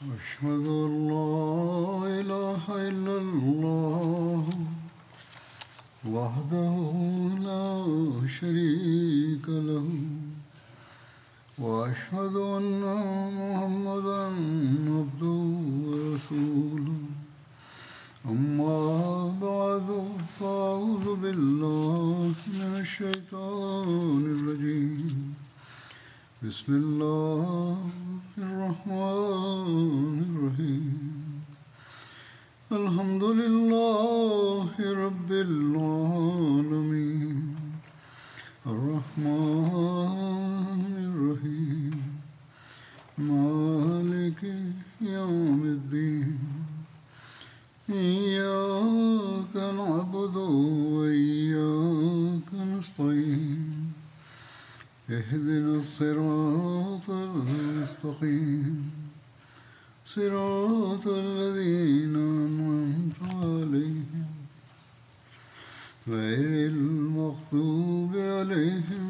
أشهد أن لا إله إلا الله وحده لا شريك له وأشهد أن محمدا عبده ورسوله. أما بعد، فأعوذ بالله من الشيطان الرجيم. بسم الله الرحمن الرحيم. الحمد لله رب العالمين الرحمن الرحيم مالك يوم الدين. إياك نعبد وإياك نستعين. اهدنا الصراط المستقيم صراط الذين أنعمت عليهم غير المغضوب عليهم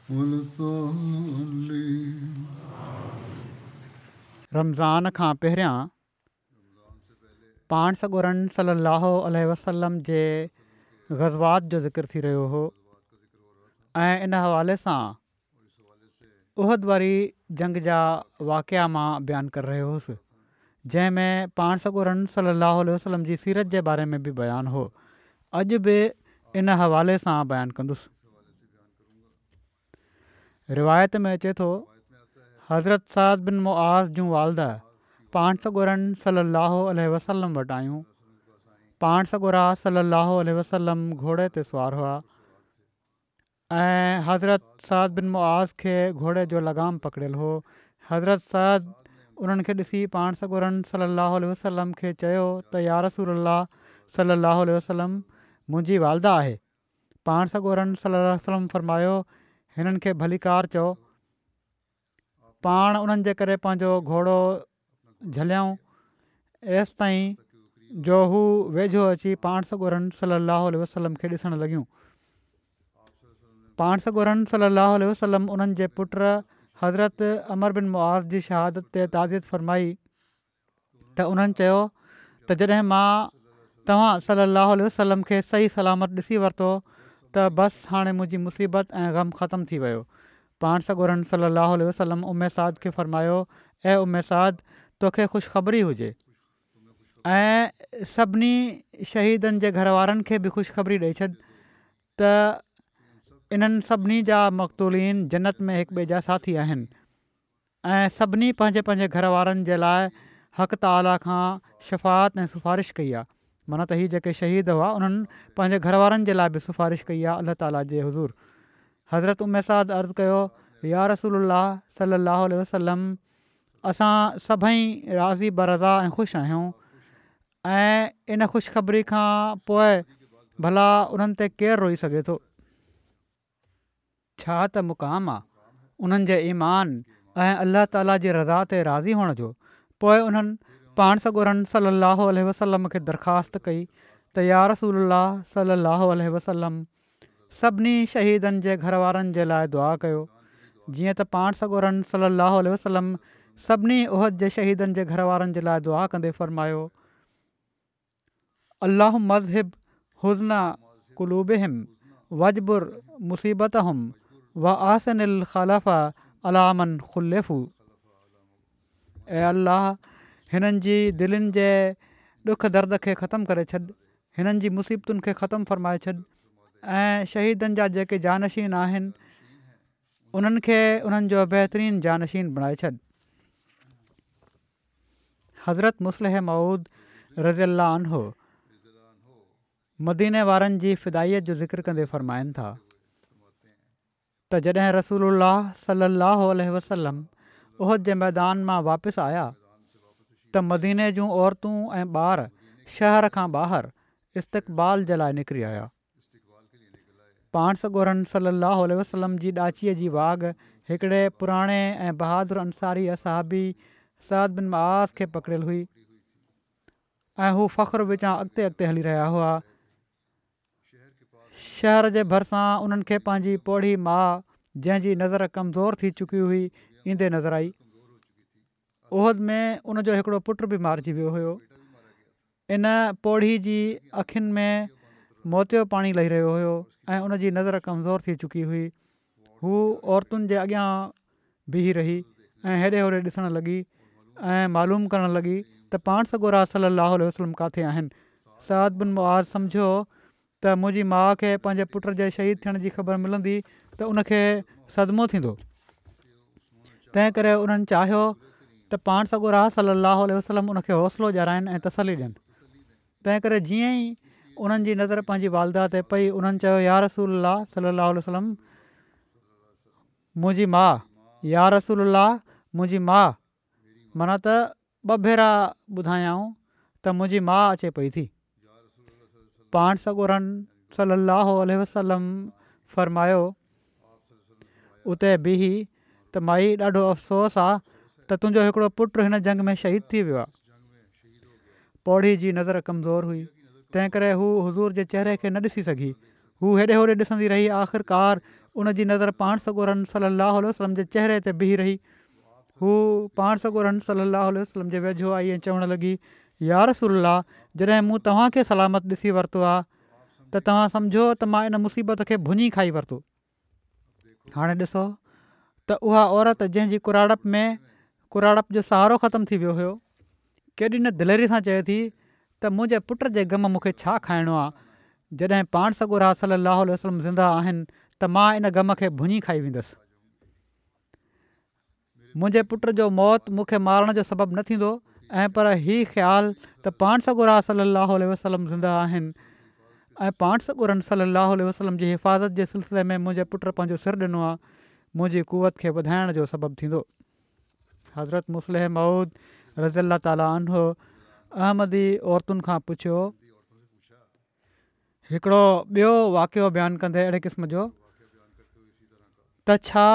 ولا الضالين. رمضان کان پهريان پاڻ سڳورن صلّي اللّٰه عليه وسلّم جي غزوات جو ذڪر ٿي رهيو هو ۽ ان حوالي سان احد واري جنگ جا واقعا مان بيان ڪري رهيو هوس جنهن ۾ پاڻ سڳورن صلّي اللّٰه عليه وسلّم جي سيرت جي باري ۾ به بيان هو. اڄ به ان حوالي سان بيان ڪندس. روايت ۾ اچي ٿو، حضرت سعد بن معاذ جون والده پاڻ سڳورن صلّي اللّٰه عليه وسلّم وٽ آيون. پاڻ سڳورا صلّي اللّٰه عليه وسلّم گهوڙي تي سوار هئا ۽ حضرت سعد بن معاذ کي گهوڙي جو لغام پڪڙيل هو. حضرت سعد انهن کي ڏسي پاڻ سڳورن صلّي اللّٰه عليه وسلّم کي چيو ته يارسول الله صلّي اللّٰه عليه وسلّم منهنجي والده آهي. پاڻ سڳورن صلّي الله عليه وسلّم فرمايو، هنن کي ڀليڪار چئو. پاڻ انهن جي ڪري پنهنجو گهوڙو جهليائون ايستائين جو هو ويجهو اچي پاڻ سڳورن صلّي الله عليه وسلّم کي ڏسڻ لڳيون. پاڻ سڳورن صلّي الله عليه وسلّم انهن جي پٽ حضرت عمرو بن معاذ جي شهادت تي تعزيت فرمائي. ته انهن چيو ته جڏهن مان توهان صلّي اللّٰه عليه وسلّم کي صحيح سلامت ڏسي ورتو ته بس هاڻي منهنجي مصيبت ۽ غم ختم ٿي ويو. پاڻ سڳورن صلّي اللّٰه عليه وسلّم ام سعد کي فرمايو، اي ام سعد! توکي خوشخبري هجي ۽ سڀني شهيدن جي گهر وارن کي به خوشخبري ڏئي ڇڏ ته انهن سڀني جا مقتولين جنت ۾ هڪ ٻئي جا ساٿي آهن. ۽ سڀني پنهنجي پنهنجي گهر وارن جي لاء حق تعاليٰ کان شفاعت ۽ سفارش ڪئي آهي معنيٰ ته هي جيڪي شهيد هئا انهن پنهنجي گهر وارن جي لاء به سفارش ڪئي آهي الله تعاليٰ جي حضور حضرت ام سعد عرض ڪيو يا رسول الله صلي الله عليه وسلم اسان سڀئي راضي برضا ۽ خوش آهيون ۽ ان خوشخبري کان پوء ڀلا انهن تي ڪير روئي سگهي ٿو. ڇا ته مقام آ انهن جي ايمان ۽ الله تعالي جي رضا تي راضي هئڻ جو. پوء انهن پاڻ سڳورن صلّي اللّٰه عليه وسلّم کي درخواست ڪئي ته يا رسول الله صلّي اللّٰه عليه وسلّم سڀني شهيدن جي گهر وارن جي لاء دعا ڪيو جيئن ته پاڻ سڳورن صلّي اللّٰه عليه وسلّم سڀني احد جي شهيدن جي گهر وارن جي لاء دعا ڪندي فرمايو. اللهم اذهب حزن قلوبهم واجبر مصيبتهم واحسن الخلف علي من خلفوا اي الله هنن جي دلين جي ڏک درد کي ختم ڪري ڇڏ هنن جي مصيبتن کي ختم فرمائي ڇڏ ۽ شهيدن جا جيڪي جانشين آهن انهن کي انهن جو بهترين جانشين بڻائي ڇڏ. حضرت مصلح موعود رضي الله عنه مديني وارن جي فدائيت جو ذڪر ڪندي فرمائن ٿا ته جڏهن رسول الله صلي الله عليه وسلم احد جي ميدان مان واپس آيا ته مديني جون عورتون ۽ ٻار شهر کان ٻاهر استقبال جي لاء نڪري آيا. پاڻ سڳورن صلّي اللّٰه عليه وسلّم جي ڏاچيء جي واڳ هڪڙي پراڻي ۽ بهادر انصاري اصحابي سعد بن معاذ کي پڪڙيل هئي ۽ هو فخر وچان اڳتي اڳتي هلي رهيا هئا. شهر جي ڀرسان انهن کي پنهنجي پوڙهي ماء جنهن جي نظر ڪمزور ٿي چڪي هئي ايندي نظر آئي. احد ۾ ان جو هڪڙو پٽ به مارجي ويو هيو. ان پوڙهي جي اکين ۾ موتيو پاڻي لهي رهيو هيو ۽ ان جي نظر ڪمزور ٿي چڪي هئي. هو عورتن جي اڳيان بيهي رهي ۽ هيڏي هوڏي ڏسڻ لڳي ۽ معلوم ڪرڻ لڳي ته پاڻ سڳورا صلّي اللّٰه عليه وسلّم ڪاٿي آهن. سعد بن معاذ سمجهيو ته منهنجي ماء کي پنهنجي پٽ جي شهيد ٿيڻ جي خبر ملندي ته ان کي صدمو ٿيندو. تنهن ڪري انهن چاهيو ته پاڻ سڳورا صلّي اللّٰه عليه وسلّم ان کي حوصلو ڏيارائن ۽ تسلي ڏين. تنهن ڪري جيئن ئي انهن جي نظر پنهنجي والده تي پئي انهن چيو يا رسول الله صلّي اللّٰه عليه وسلّم منهنجي ماء يا رسول الله منهنجي ماء معنيٰ ته ٻه ڀيرا ٻڌايائون ته منهنجي ماء اچي پئي ٿي. پاڻ سڳورن صلّي اللّٰه عليه وسلّم فرمايو، اتي بيهي ته مائي ڏاڍو افسوس آ ته تنهنجو هڪڙو پٽ هن جنگ ۾ شهيد ٿي ويو آ. پوڙهي جي نظر ڪمزور هئي، تنهن ڪري هو حضور جي چهري کي نه ڏسي سگهي. هو هيڏي هوڏي ڏسندي رهي آخرڪار ان جي نظر پاڻ سڳورن صلّي اللّٰه عليه وسلّم جي چهري تي بيهي رهي. هو پاڻ سڳورن صلّي اللّٰه عليه وسلّم جي ويجهو آئي ۽ چوڻ لڳي، يا رسول الله! جڏهن مون توهان کي سلامت ڏسي ورتو آ ته توهان سمجهو ته مان ان مصيبت کي ڀڃي کائي ورتو. هاڻي ڏسو ته اها عورت جنهن جي ڪراڙپ ۾ ڪراڙپ جو سهارو ختم ٿي ويو هيو، ڪيڏي نه دليري سان چئي ٿي ته منهنجي پٽ جي غم مون کي ڇا کائڻو آ، جڏهن پاڻ سڳورا صلّي اللّٰه عليه وسلّم زنده آهن ته مان ان غم کي ڀڃي کائي ويندس. منهنجي پٽ جو موت مون کي مارڻ جو سبب نه ٿيندو ۽ پر هي خيال ته پاڻ سڳورا صلّي اللّٰه عليه وسلّم زنده آهن ۽ پاڻ سڳورن صلّي اللّٰه عليه وسلّم جي حفاظت جي سلسلي ۾ منهنجي پٽ پنهنجو سر ڏنو آهي منهنجي قوت کي وڌائڻ جو سبب ٿيندو. حضرت مصلح موعود رضي الله تعالٰي عنه احمدي عورتن کان پڇيو. هڪڙو ٻيو واقعو بيان ڪندي اهڙي قسم جو ته ڇا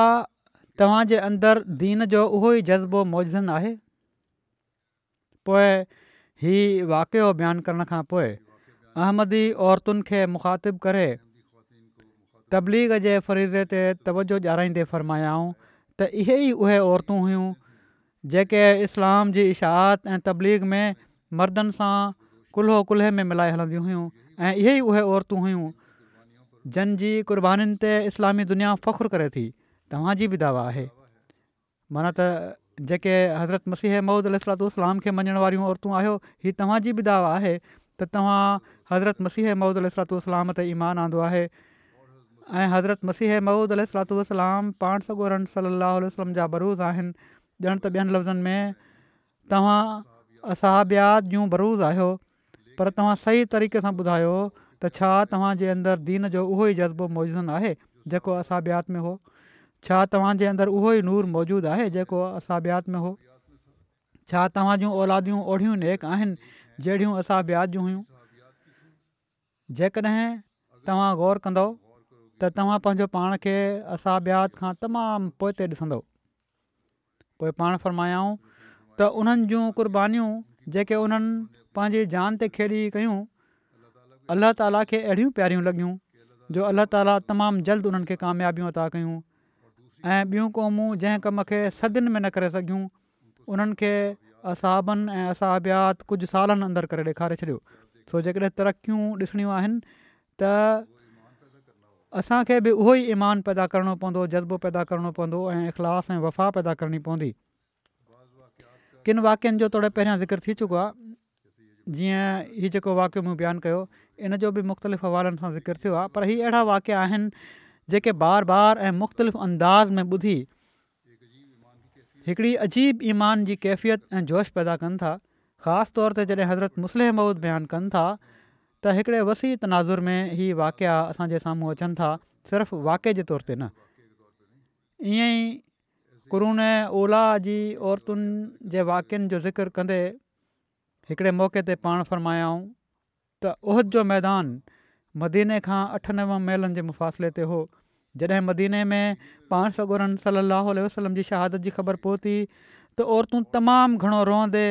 توهان جي اندر دين جو اهو ئي جذبو موجزن آهي؟ پوء هي واقعو بيان ڪرڻ کان پوء احمدي عورتن کي مخاطب ڪري تبليغ جي فريضي تي توجه ڏيارائيندي فرمايائون ته اهي ئي اهي عورتون هيون جيڪي اسلام جي اشاعت ۽ تبليغ ۾ مردن سان ڪلهو ڪلهي ۾ ملائي هلنديون هيون ۽ اهي ئي اهي عورتون هيون جن جي قربانين تي اسلامي دنيا فخر ڪري ٿي توهان جي به دعويٰ آهي معنيٰ ته جيڪي حضرت مسيح موعود عليه الصلوة والسلام کي مڃڻ واريون عورتون آهيو هي توهان جي به دعويٰ آهي ته توهان حضرت مسيح موعود عليه الصلوة والسلام تي ايمان آندو آهي ۽ حضرت مسيح موعود عليه الصلوة والسلام پاڻ سڳورن صلّي اللّٰه عليه وسلّم جا بروز آهن ڄڻ ته ٻين لفظن ۾ توهان اصحابيات جون بروز آهيو پر توهان صحيح طريقي سان ٻڌايو ته ڇا توهان جي اندر دين جو اهو ئي جذبو موجزن آهي جيڪو اصحابيات ۾ هو؟ ڇا توهان جي اندر اهو ئي نور موجود آهي جيڪو اصحابيات ۾ هو؟ ڇا توهان جون اولاديون اوڙهيون نيڪ آهن جهڙيون اصحابيات جون هيون؟ جيڪڏهن توهان غور ڪندؤ ته توهان پنهنجو پاڻ کي اصحابيات کان تمام پوئتي ڏسندؤ. پوء پاڻ فرمايائون ته انهن جون قربانيون جيڪي انهن پنهنجي جان تي کيڏي ڪيون الله تعالي کي اهڙيون پياريون لڳيون جو الله تعالي تمام جلد انهن کي ڪاميابيون عطا ڪيون ۽ ٻيون قومون جنهن ڪم کي صدين ۾ نه ڪري سگهيون انهن کي اصحابن ۽ اصحابيات ڪجهه سالن اندر ڪري ڏيکاري ڇڏيو. سو جيڪڏهن ترقيون ڏسڻيون آهن ته اسان کي به اهو ئي ايمان پيدا ڪرڻو پوندو، جذبو پيدا ڪرڻو پوندو ۽ اخلاص ۽ وفا پيدا ڪرڻي پوندي. ڪن واقعن جو توڙي پهريان ذڪر ٿي چڪو آهي. جيئن هي جيڪو واقعو مون بيان ڪيو ان جو به مختلف حوالن سان ذڪر ٿيو آهي پر هي اهڙا واقعا آهن جيڪي بار بار ۽ مختلف انداز ۾ ٻڌي هڪڙي عجيب ايمان جي ڪيفيت ۽ جوش پيدا ڪن ٿا خاص طور تي جڏهن حضرت مصلح موعود بيان ڪن ٿا ته هڪڙي وسيع تناظر ۾ هي واقعا اسان جي سامهون اچن ٿا صرف واقعي جي طور تي نه ائين ئي قرون اوليٰ جي عورتن جي واقعن جو ذڪر ڪندي هڪڙي موقعي تي پاڻ فرمايائون ته احد جو ميدان مديني کان اٺ نو ميلن جي مفاصلي تي هو. جڏهن مديني ۾ پاڻ سڳورن صلّي اللّٰه عليه وسلّم جي شهادت جي خبر پهتي ته عورتون تمام گهڻو روئندي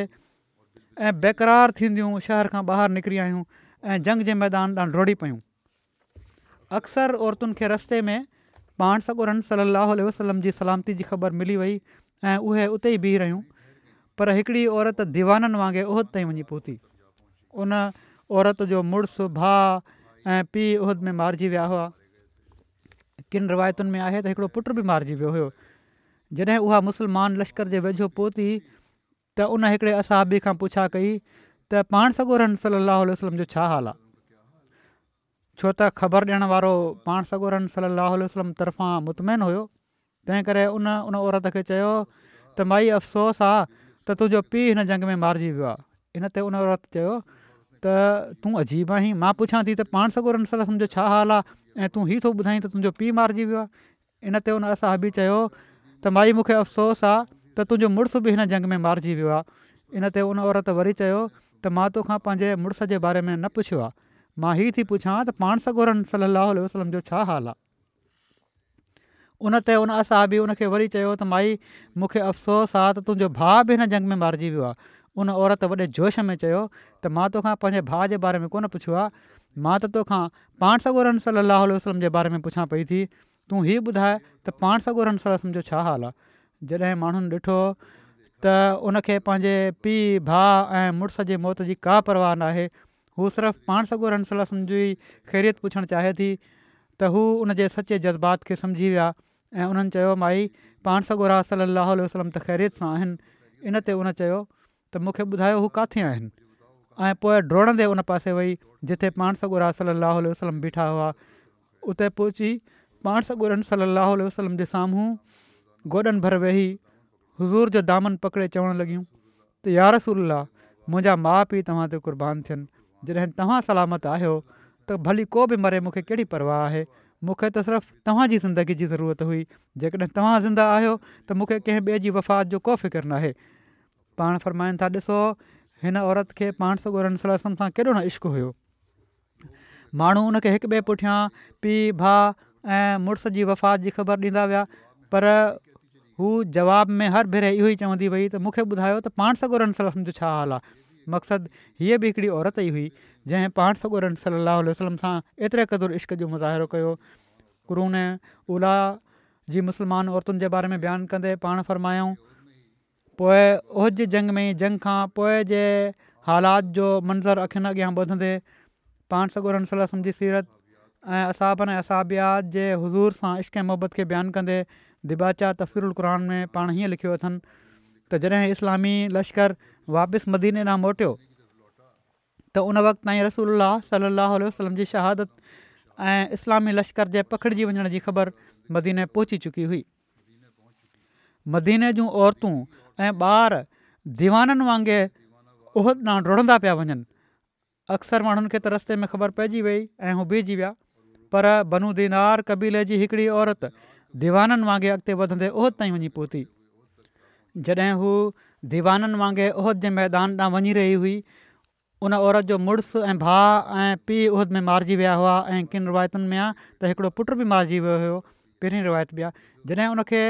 ۽ بيقرار ٿينديون شهر کان ٻاهر نڪري آيون ۽ جنگ جي ميدان ڏانهن ڊوڙي پيون. اڪثر عورتن کي رستي ۾ پاڻ سڳورن صلّي اللّٰه عليه وسلّم جي سلامتي جي خبر ملي وئي ۽ اهي اتي ئي بيهي رهيون. پر هڪڙي عورت ديوانن وانگي احد تائين وڃي پهتي. ان عورت جو مڙس، ڀاء ۽ پيء احد ۾ مارجي ويا هئا. ڪن روايتن ۾ آهي ته هڪڙو پٽ به مارجي ويو هيو. جڏهن اها مسلمان لشڪر جي ويجهو پهتي ته ان هڪڙي اصحابي کان پڇا ڪئي ته پاڻ سڳورن صلّي اللّٰه عليه وسلّم جو ڇا حال آ؟ ڇو ته خبر ڏيڻ وارو پاڻ سڳورن صلّي اللّٰه عليه وسلّم طرفان مطمئن هيو، تنهن ڪري ان ان عورت کي چيو ته مائي افسوس آ ته تنهنجو پيء هن جنگ ۾ مارجي ويو آ. ان تي ان عورت چيو ته تون عجيب آهين، مان پڇان ٿي ته پاڻ سڳورن صلّي اللّٰه عليه وسلّم جو ڇا حال آ ۽ تون هي ٿو ٻڌائين ته تنهنجو پيء مارجي ويو آ. ان تي ان اصحابي چيو ته مائي مون کي افسوس آ ته تنهنجو مڙس به هن جنگ ۾ مارجي ويو آ. ان تي ان عورت وري چيو ته مان تو کان پنهنجي مڙس جي باري ۾ نه پڇيو آ، مان هي ٿي پڇان ته پاڻ سڳورن صلّي اللّٰه عليه وسلّم جو ڇا حال آ؟ ان تي ان اصحابي ان کي وري چيو ته مائي مون کي افسوس آ ته تنهنجو ڀاء به هن جنگ ۾ مارجي ويو آ. ان عورت وڏي جوش ۾ چيو ته مان تو کان پنهنجي ڀاء جي باري ۾ ڪونه پڇيو آ، مان ته تو کان پاڻ سڳورن صلّي اللّٰه عليه وسلّم جي باري ۾ پڇان پئي ٿي، تون هي ٻڌاء ته پاڻ سڳورن صلّي اللّٰه عليه وسلّم جو ڇا حال آ؟ جڏهن ماڻهن ڏٺو ته ان کي پنهنجي پيء، ڀاء ۽ مڙس جي موت جي ڪا پرواهه ناهي، هو صرف پاڻ سڳورن صلّي اللّٰه عليه وسلّم جي خيريت پڇڻ چاهي ٿي ته هو ان جي سچي جذبات کي سمجهي ويا ۽ انهن چيو مائي پاڻ سڳورا صلّي اللّٰه عليه وسلّم ته خيريت سان آهن ان تي ان چيو ته مون کي ٻڌايو هو ڪاٿي آهن؟ ۽ پوء ڊوڙندي ان پاسي وئي جتي پاڻ سڳورا صلّي اللّٰه عليه وسلّم بيٺا هئا. اتي پهچي پاڻ سڳورن صلّي اللّٰه عليه وسلّم جي سامهون گوڏن ڀر ويهي حضور جو دامن پڪڙي چوڻ لڳيون ته يارسول الله منهنجا ماء پيء توهان تي قربان ٿين جڏهن توهان سلامت آهيو ته ڀلي ڪو به مري مون کي ڪهڙي پرواهه آهي مون کي ته صرف توهان جي زندگي جي ضرورت هئي جيڪڏهن توهان زنده آهيو ته مون کي ڪنهن ٻئي جي وفات جو ڪو فڪر ناهي پاڻ فرمائن ٿا، ڏسو هن عورت کي پاڻ سڳورن صلي الله عليه وسلم سان ڪيڏو نه عشق هيو. ماڻهو ان کي هڪ ٻئي پٺيان پيء، ڀاء ۽ مڙس جي وفات جي خبر ڏيندا ويا پر هو جواب ۾ هر ڀيري اهو ئي چوندي وئي ته مون کي ٻڌايو ته پاڻ سڳورن صلي الله عليه وسلم جو ڇا حال آهي؟ مقصد هيء به هڪڙي عورت ئي هئي جنهن پاڻ سڳورن صلي الله عليه وسلم سان ايتري قدر عشق جو مظاهرو ڪيو. قرون اوليٰ جي مسلمان عورتن جي باري ۾ بيان ڪندي پاڻ فرمايائون. پوء احد جي جنگ ۾ جنگ کان پوء جي حالات جو منظر اکين اڳيان ٻڌندي پاڻ سڳورن صلي الله عليه وسلم جي سيرت ۽ اصحابن ۽ اصحابيات جي حضور سان عشق ۽ محبت کي بيان ڪندي ديباچه تفسير القرآن ۾ پاڻ هيئن لکيو اٿن ته جڏهن اسلامي لشڪر واپس مديني ڏانهن موٽيو ته ان وقت تائين رسول الله صلي الله عليه وسلم جي شهادت ۽ اسلامي لشڪر جي پکڙجي وڃڻ جي خبر مديني پهچي چڪي هئي. مديني جون عورتون ۽ ٻار ديوانن وانگي احد ڏانهن ڊوڙندا پيا وڃن. اڪثر ماڻهن کي ته رستي ۾ خبر پئجي وئي ۽ هو بيهجي ويا. پر بنو دينار قبيلي جي هڪڙي عورت ديوانن وانگي اڳتي وڌندي احد تائين وڃي پهتي. جڏهن هو ديوانن وانگي احد جي ميدان ڏانهن وڃي رهي هئي ان عورت جو مڙس ۽ ڀاء ۽ پيء احد ۾ مارجي ويا هئا ۽ ڪن روايتن ۾ آ ته هڪڙو پٽ به مارجي ويو هيو پهرين روايت به آ جڏهن ان کي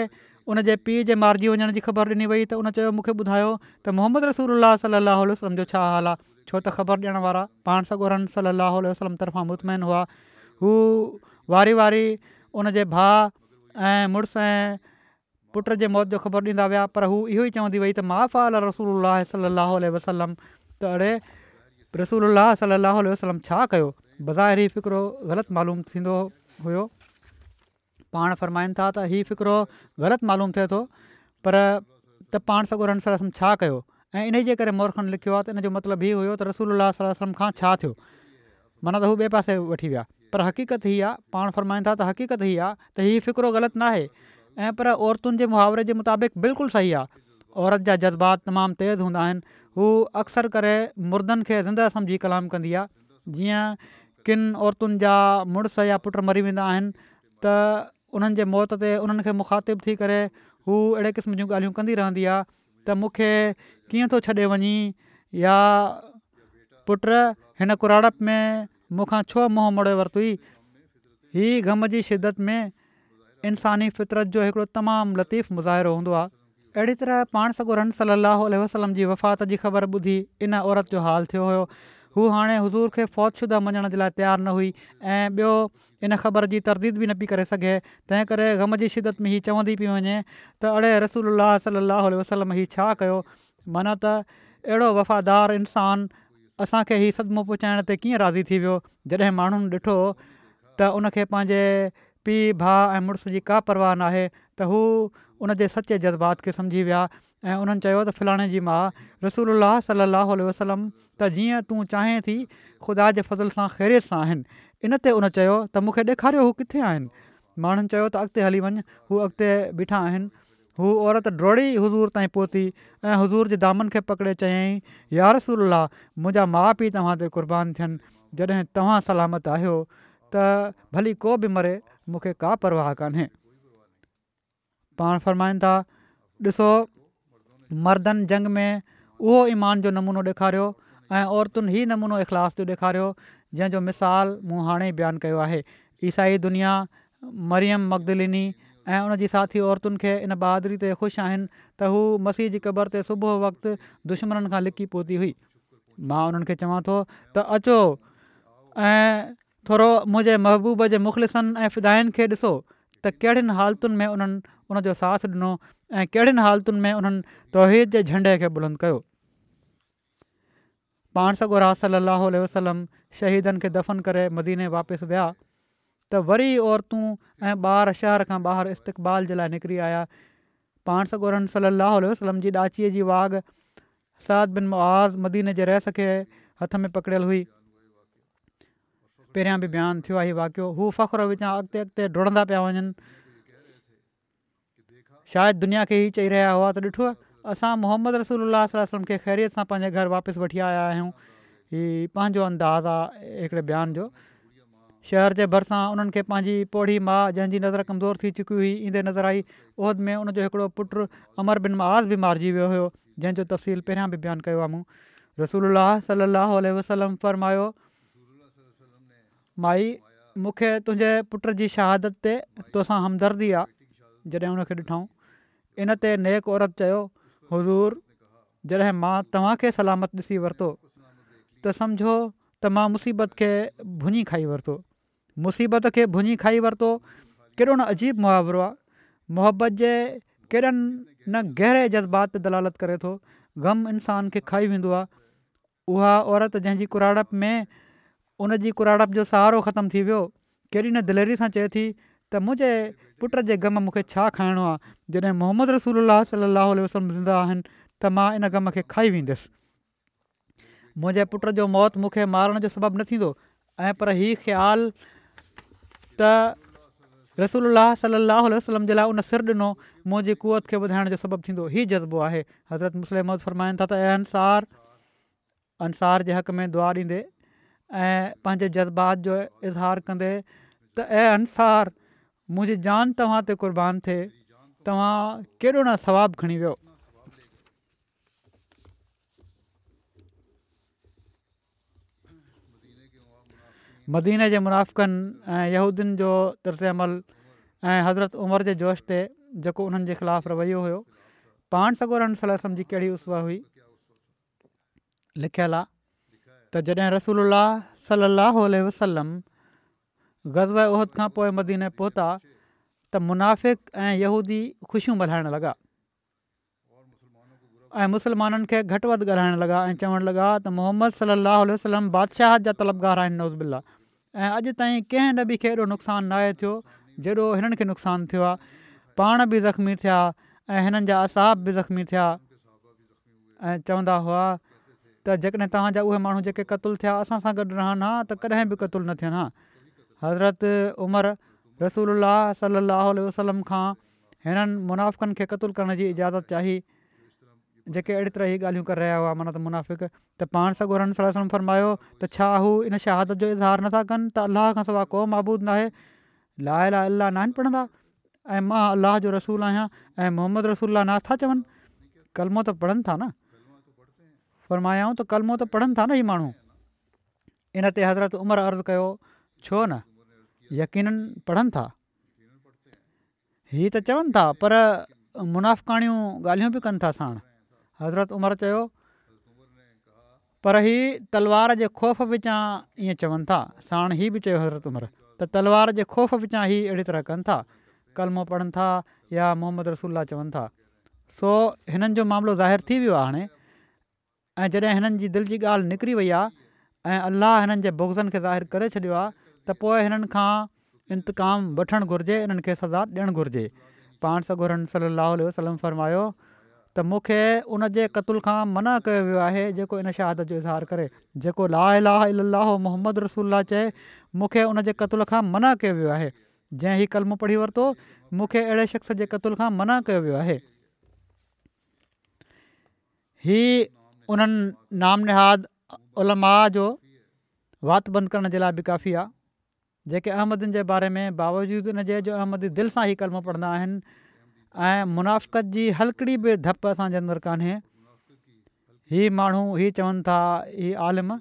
ان جي پيء جي مارجي وڃڻ جي خبر ڏني وئي ته ان چيو مون کي ٻڌايو ته محمد رسول الله صلي الله عليه وسلم جو ڇا حال آ ڇو ته خبر ڏيڻ وارا پاڻ سڳورن صلي الله عليه وسلم طرفان مطمئن هئا هو واري واري ان جي ڀاء ۽ مڙس ۽ پٽ جي موت جو خبر ڏيندا ويا پر هو اهو ئي چوندي وئي ته ما فعل رسول الله صلي الله عليه وسلم ته اڙي رسول الله صلي الله عليه وسلم ڇا ڪيو بظاهر هي فقرو غلط معلوم ٿيندو هيو پاڻ فرمائن ٿا ته هي فقرو غلط معلوم ٿئي ٿو پر ته پاڻ سڳورن صلي الله عليه وسلم ڇا ڪيو ۽ انهي جي ڪري مورخن لکيو آهي ته ان جو مطلب هي هيو ته رسول الله صلي الله عليه وسلم کان ڇا ٿيو معنيٰ ته هو ٻئي پاسي وٺي ويا. پر حقيقت هي آ، پاڻ فرمائن ٿا ته حقيقت هي آ ته هي فقرو غلط ناهي ۽ پر عورتن جي محاوري جي مطابق بلڪل صحيح آ. عورت جا جذبات تمام تيز هوندا آهن. هو اڪثر ڪري مردن کي زنده سمجهي ڪلام ڪندي آ. جيئن ڪن عورتن جا مڙس يا پٽ مري ويندا آهن ته انهن جي موت تي انهن کي مخاطب ٿي ڪري هو اهڙي قسم جون ڳالهيون ڪندي رهندي آ. ته مون کي ڪيئن ٿو ڇڏي وڃين يا پٽ هن ڪراڙپ ۾ مون کان ڇو منهن موڙي ورتوئي؟ هي غم جي شدت ۾ انساني فطرت جو هڪڙو تمام لطيف مظاهرو هوندو آهي. اهڙي طرح پاڻ سڳورن صلّي اللّٰه عليه وسلّم جي وفات جي خبر ٻڌي ان عورت جو حال ٿيو هيو. هوء هاڻي حضور کي فوت شده مڃڻ جي لاء تيار نه هئي ۽ ٻيو ان خبر جي ترديد به نه پئي ڪري سگهي، تنهن ڪري غم جي شدت ۾ هي چوندي پئي وڃي ته اڙي رسول الله صلي الله عليه وسلم هي ڇا ڪيو؟ معنيٰ ته اهڙو وفادار انسان اسان کي هي صدمو پهچائڻ تي ڪيئن راضي ٿي ويو جڏهن ماڻهن ڏٺو ته ان کي پنهنجي پيء ڀاء ۽ مڙس جي ڪا پرواهه ناهي ته هو ان جي سچي جذبات کي سمجهي ويا ۽ انهن چيو ته فلاڻي جي ماء رسول الله صلي الله عليه وسلم ته جيئن تون چاهين ٿي خدا جي فضل سان خيريت سان آهن. ان تي ان چيو ته مون کي ڏيکاريو هو ڪٿي آهن؟ ماڻهن چيو ته اڳتي هلي وڃ هو اڳتي بيٺا آهن. هو عورت ڊوڙي حضور تائين پهتي ۽ حضور جي دامن کي پڪڙي چيائين يا رسول الله منهنجا ماء پيء توهان تي قربان ٿين جڏهن توهان سلامت آهيو ته ڀلي ڪو به مري مون کي ڪا پرواهه ڪانهي. پاڻ فرمائن ٿا، ڏسو مردن جنگ ۾ اهو ايمان جو نمونو ڏيکاريو ۽ عورتن هي نمونو اخلاص جو ڏيکاريو جنهن جو مثال مون هاڻي ئي بيان ڪيو آهي. عيسائي دنيا مريم مگدليني ۽ ان جي ساٿي عورتن کي ان بهادري تي خوش آهن ته هو مسيح جي قبر تي صبح وقت دشمنن کان لڪي پهتي هئي. مان انهن کي چوان ٿو ته اچو ۽ ٿورو منهنجي محبوب جي مخلصن ۽ فدائين کي ڏسو ته ڪهڙين حالتن ۾ انهن ان جو ساٿ ڏنو ۽ ڪهڙين حالتن ۾ انهن توحيد جي جهنڊي کي بلند ڪيو. پاڻ سڳورا صلّي اللّٰه عليه وسلّم شهيدن کي دفن ڪري مديني واپس ويا ته وري عورتون ۽ ٻار شهر کان ٻاهر استقبال جي لاء نڪري آيا. پاڻ سڳورن صلّي اللّٰه عليه وسلّم جي ڏاچيء جي واڳ سعد بن معاذ مديني جي رئيس کي هٿ ۾ پڪڙيل هئي. پهريان به بيان ٿيو آهي هي واقعو. هو فخر وچان اڳتي اڳتي ڊوڙندا پيا وڃن. شايد دنيا کي هي چئي رهيا هئا ته ڏٺو اسان محمد رسول الله صلي الله عليه وسلم کي خيريت سان پنهنجي گهر واپس وٺي آيا آهيون. هي پنهنجو انداز آهي هڪڙي بيان جو. شهر جي ڀرسان انهن کي پنهنجي پوڙهي ماء جنهن جي نظر ڪمزور ٿي چڪي هئي ايندي نظر آئي. احد ۾ ان جو هڪڙو پٽ عمرو بن معاذ به مارجي ويو هيو. جنهن جو تفصيل پهريان به بيان ڪيو آهي مون. رسول الله صلي الله عليه وسلم فرمايو، مائي مون کي تنهنجي پٽ جي شهادت تي توسان همدردي آ جڏهن ان کي ڏٺائون. ان تي نيڪ عورت چيو، حضور جڏهن مان توهان کي سلامت ڏسي ورتو ته سمجهو ته مان مصيبت کي ڀڃي کائي ورتو. مصيبت کي ڀڃي کائي ورتو، ڪيڏو نه عجيب محاورو آ. محبت جي ڪيڏن نه گهري جذبات تي دلالت ڪري ٿو. غم انسان کي کائي ويندو آ. اها عورت جنهن جي ڪراڙپ ۾ ان جي ڪراڙپ جو سهارو ختم ٿي ويو، ڪيڏي نه دليري سان چئي ٿي ته منهنجي پٽ جي غم مون کي ڇا کائڻو آ، جڏهن محمد رسول الله صلي الله عليه وسلم زنده آهن ته مان ان غم کي کائي ويندس. منهنجي پٽ جو موت مون کي مارڻ جو سبب نه ٿيندو ۽ پر هي خيال ته رسول الله صلي الله عليه وسلم جي لاء ان سر ڏنو منهنجي قوت کي وڌائڻ جو سبب ٿيندو هي جذبو آهي حضرت مصلح موعود فرمائن ٿا ته اي انصار انصار جي حق ۾ دعا ڏيندي ۽ پنهنجي جذبات جو اظهار ڪندي ته اي انصار منهنجي جان توهان تي قربان ٿئي توهان ڪيڏو نه ثواب کڻي ويو. مديني جي منافقن ۽ يهودين جو طرز عمل ۽ حضرت عمر جي جوش تي جيڪو انهن جي خلاف رويو هيو پاڻ سڳورن صلي الله عليه وسلم جي ڪهڙي اسوه هئي لکيل آ ته جڏهن رسول الله صلي الله عليه وسلم غزوه احد کان پوء مديني پهتا ته منافق ۽ يهودي خوشيون ملهائڻ لڳا ۽ مسلمانن کي گهٽ وڌ ڳالهائڻ لڳا ۽ چوڻ لڳا ته محمد صلي الله عليه وسلم بادشاهت جا طلبگار آهن نعوذ بالله ۽ اڄ تائين ڪنهن نبي کي ايڏو نقصان ناهي ٿيو جيڏو هنن کي نقصان ٿيو آهي پاڻ به زخمي ٿيا ۽ هنن جا اصحاب به زخمي ٿيا ۽ چوندا هئا ته جيڪڏهن توهان جا اهي ماڻهو جيڪي قتل ٿيا اسان سان گڏ رهن ها ته ڪڏهن به قتل نه ٿين ها حضرت عمر رسول الله صلي الله عليه وسلم کان هنن منافقن کي قتل ڪرڻ جي اجازت چاهي جيڪي اهڙي طرح هي ڳالهيون ڪري رهيا هئا معنيٰ ته منافق ته پاڻ سڳورن صلي الله عليه وسلم فرمايو ته ڇا هو ان شهادت جو اظهار نٿا ڪن ته الله کان سواء ڪو معبود ناهي لا اله الا الله ناهن پڙهندا ۽ مان الله جو رسول آهيان ۽ محمد رسول الله نه ٿا چون ڪلمو ته پڙهن ٿا نه فرمايائون ته ڪلمو ته پڙهن ٿا نه هي ماڻهو ان تي حضرت عمر عرض ڪيو ڇو نه يقينن پڙهن ٿا هي ته چون ٿا پر منافقاڻيون ڳالهيون به ڪن ٿا ساڻ. حضرت عمر چيو پر هي تلوار جي خوف وچان ائين چون ٿا. ساڻ هي به چيو حضرت عمر ته تلوار جي خوف وچان هي اهڙي طرح ڪن ٿا. ڪلمو پڙهن ٿا يا محمد رسول الله چون ٿا. سو هنن جو معاملو ظاهر ٿي ويو آهي هاڻي. ۽ جڏهن هنن جي دل جي ڳالهه نڪري وئي آهي ۽ الله هنن جي بغضن کي ظاهر ڪري ڇڏيو آهي ته پوء هنن کان انتقام وٺڻ گهرجي انهن کي سزا ڏيڻ گهرجي. پاڻ سڳورن صلّي اللّٰه عليه وسلّم فرمايو ته مون کي ان جي قتل کان منع ڪيو ويو آهي جيڪو ان شهادت جو اظهار ڪري جيڪو لا اله الا الله محمد رسول الله چئي مون کي ان جي قتل کان منع ڪيو ويو آهي جنهن هي ڪلمو پڙهي ورتو مون کي اهڙي شخص جي قتل کان منع ڪيو ويو آهي. هي انهن نام نهاد علماء جو وات بند ڪرڻ جي لاء به ڪافي آهي جيڪي احمدين جي باري ۾ باوجود ان جي جو احمدي دل سان هي ڪلمو پڙهندا آهن ۽ منافقت جي هلڪڙي به ڌپ اسان جي اندر ڪانهي هي ماڻهو هي چون ٿا هي عالم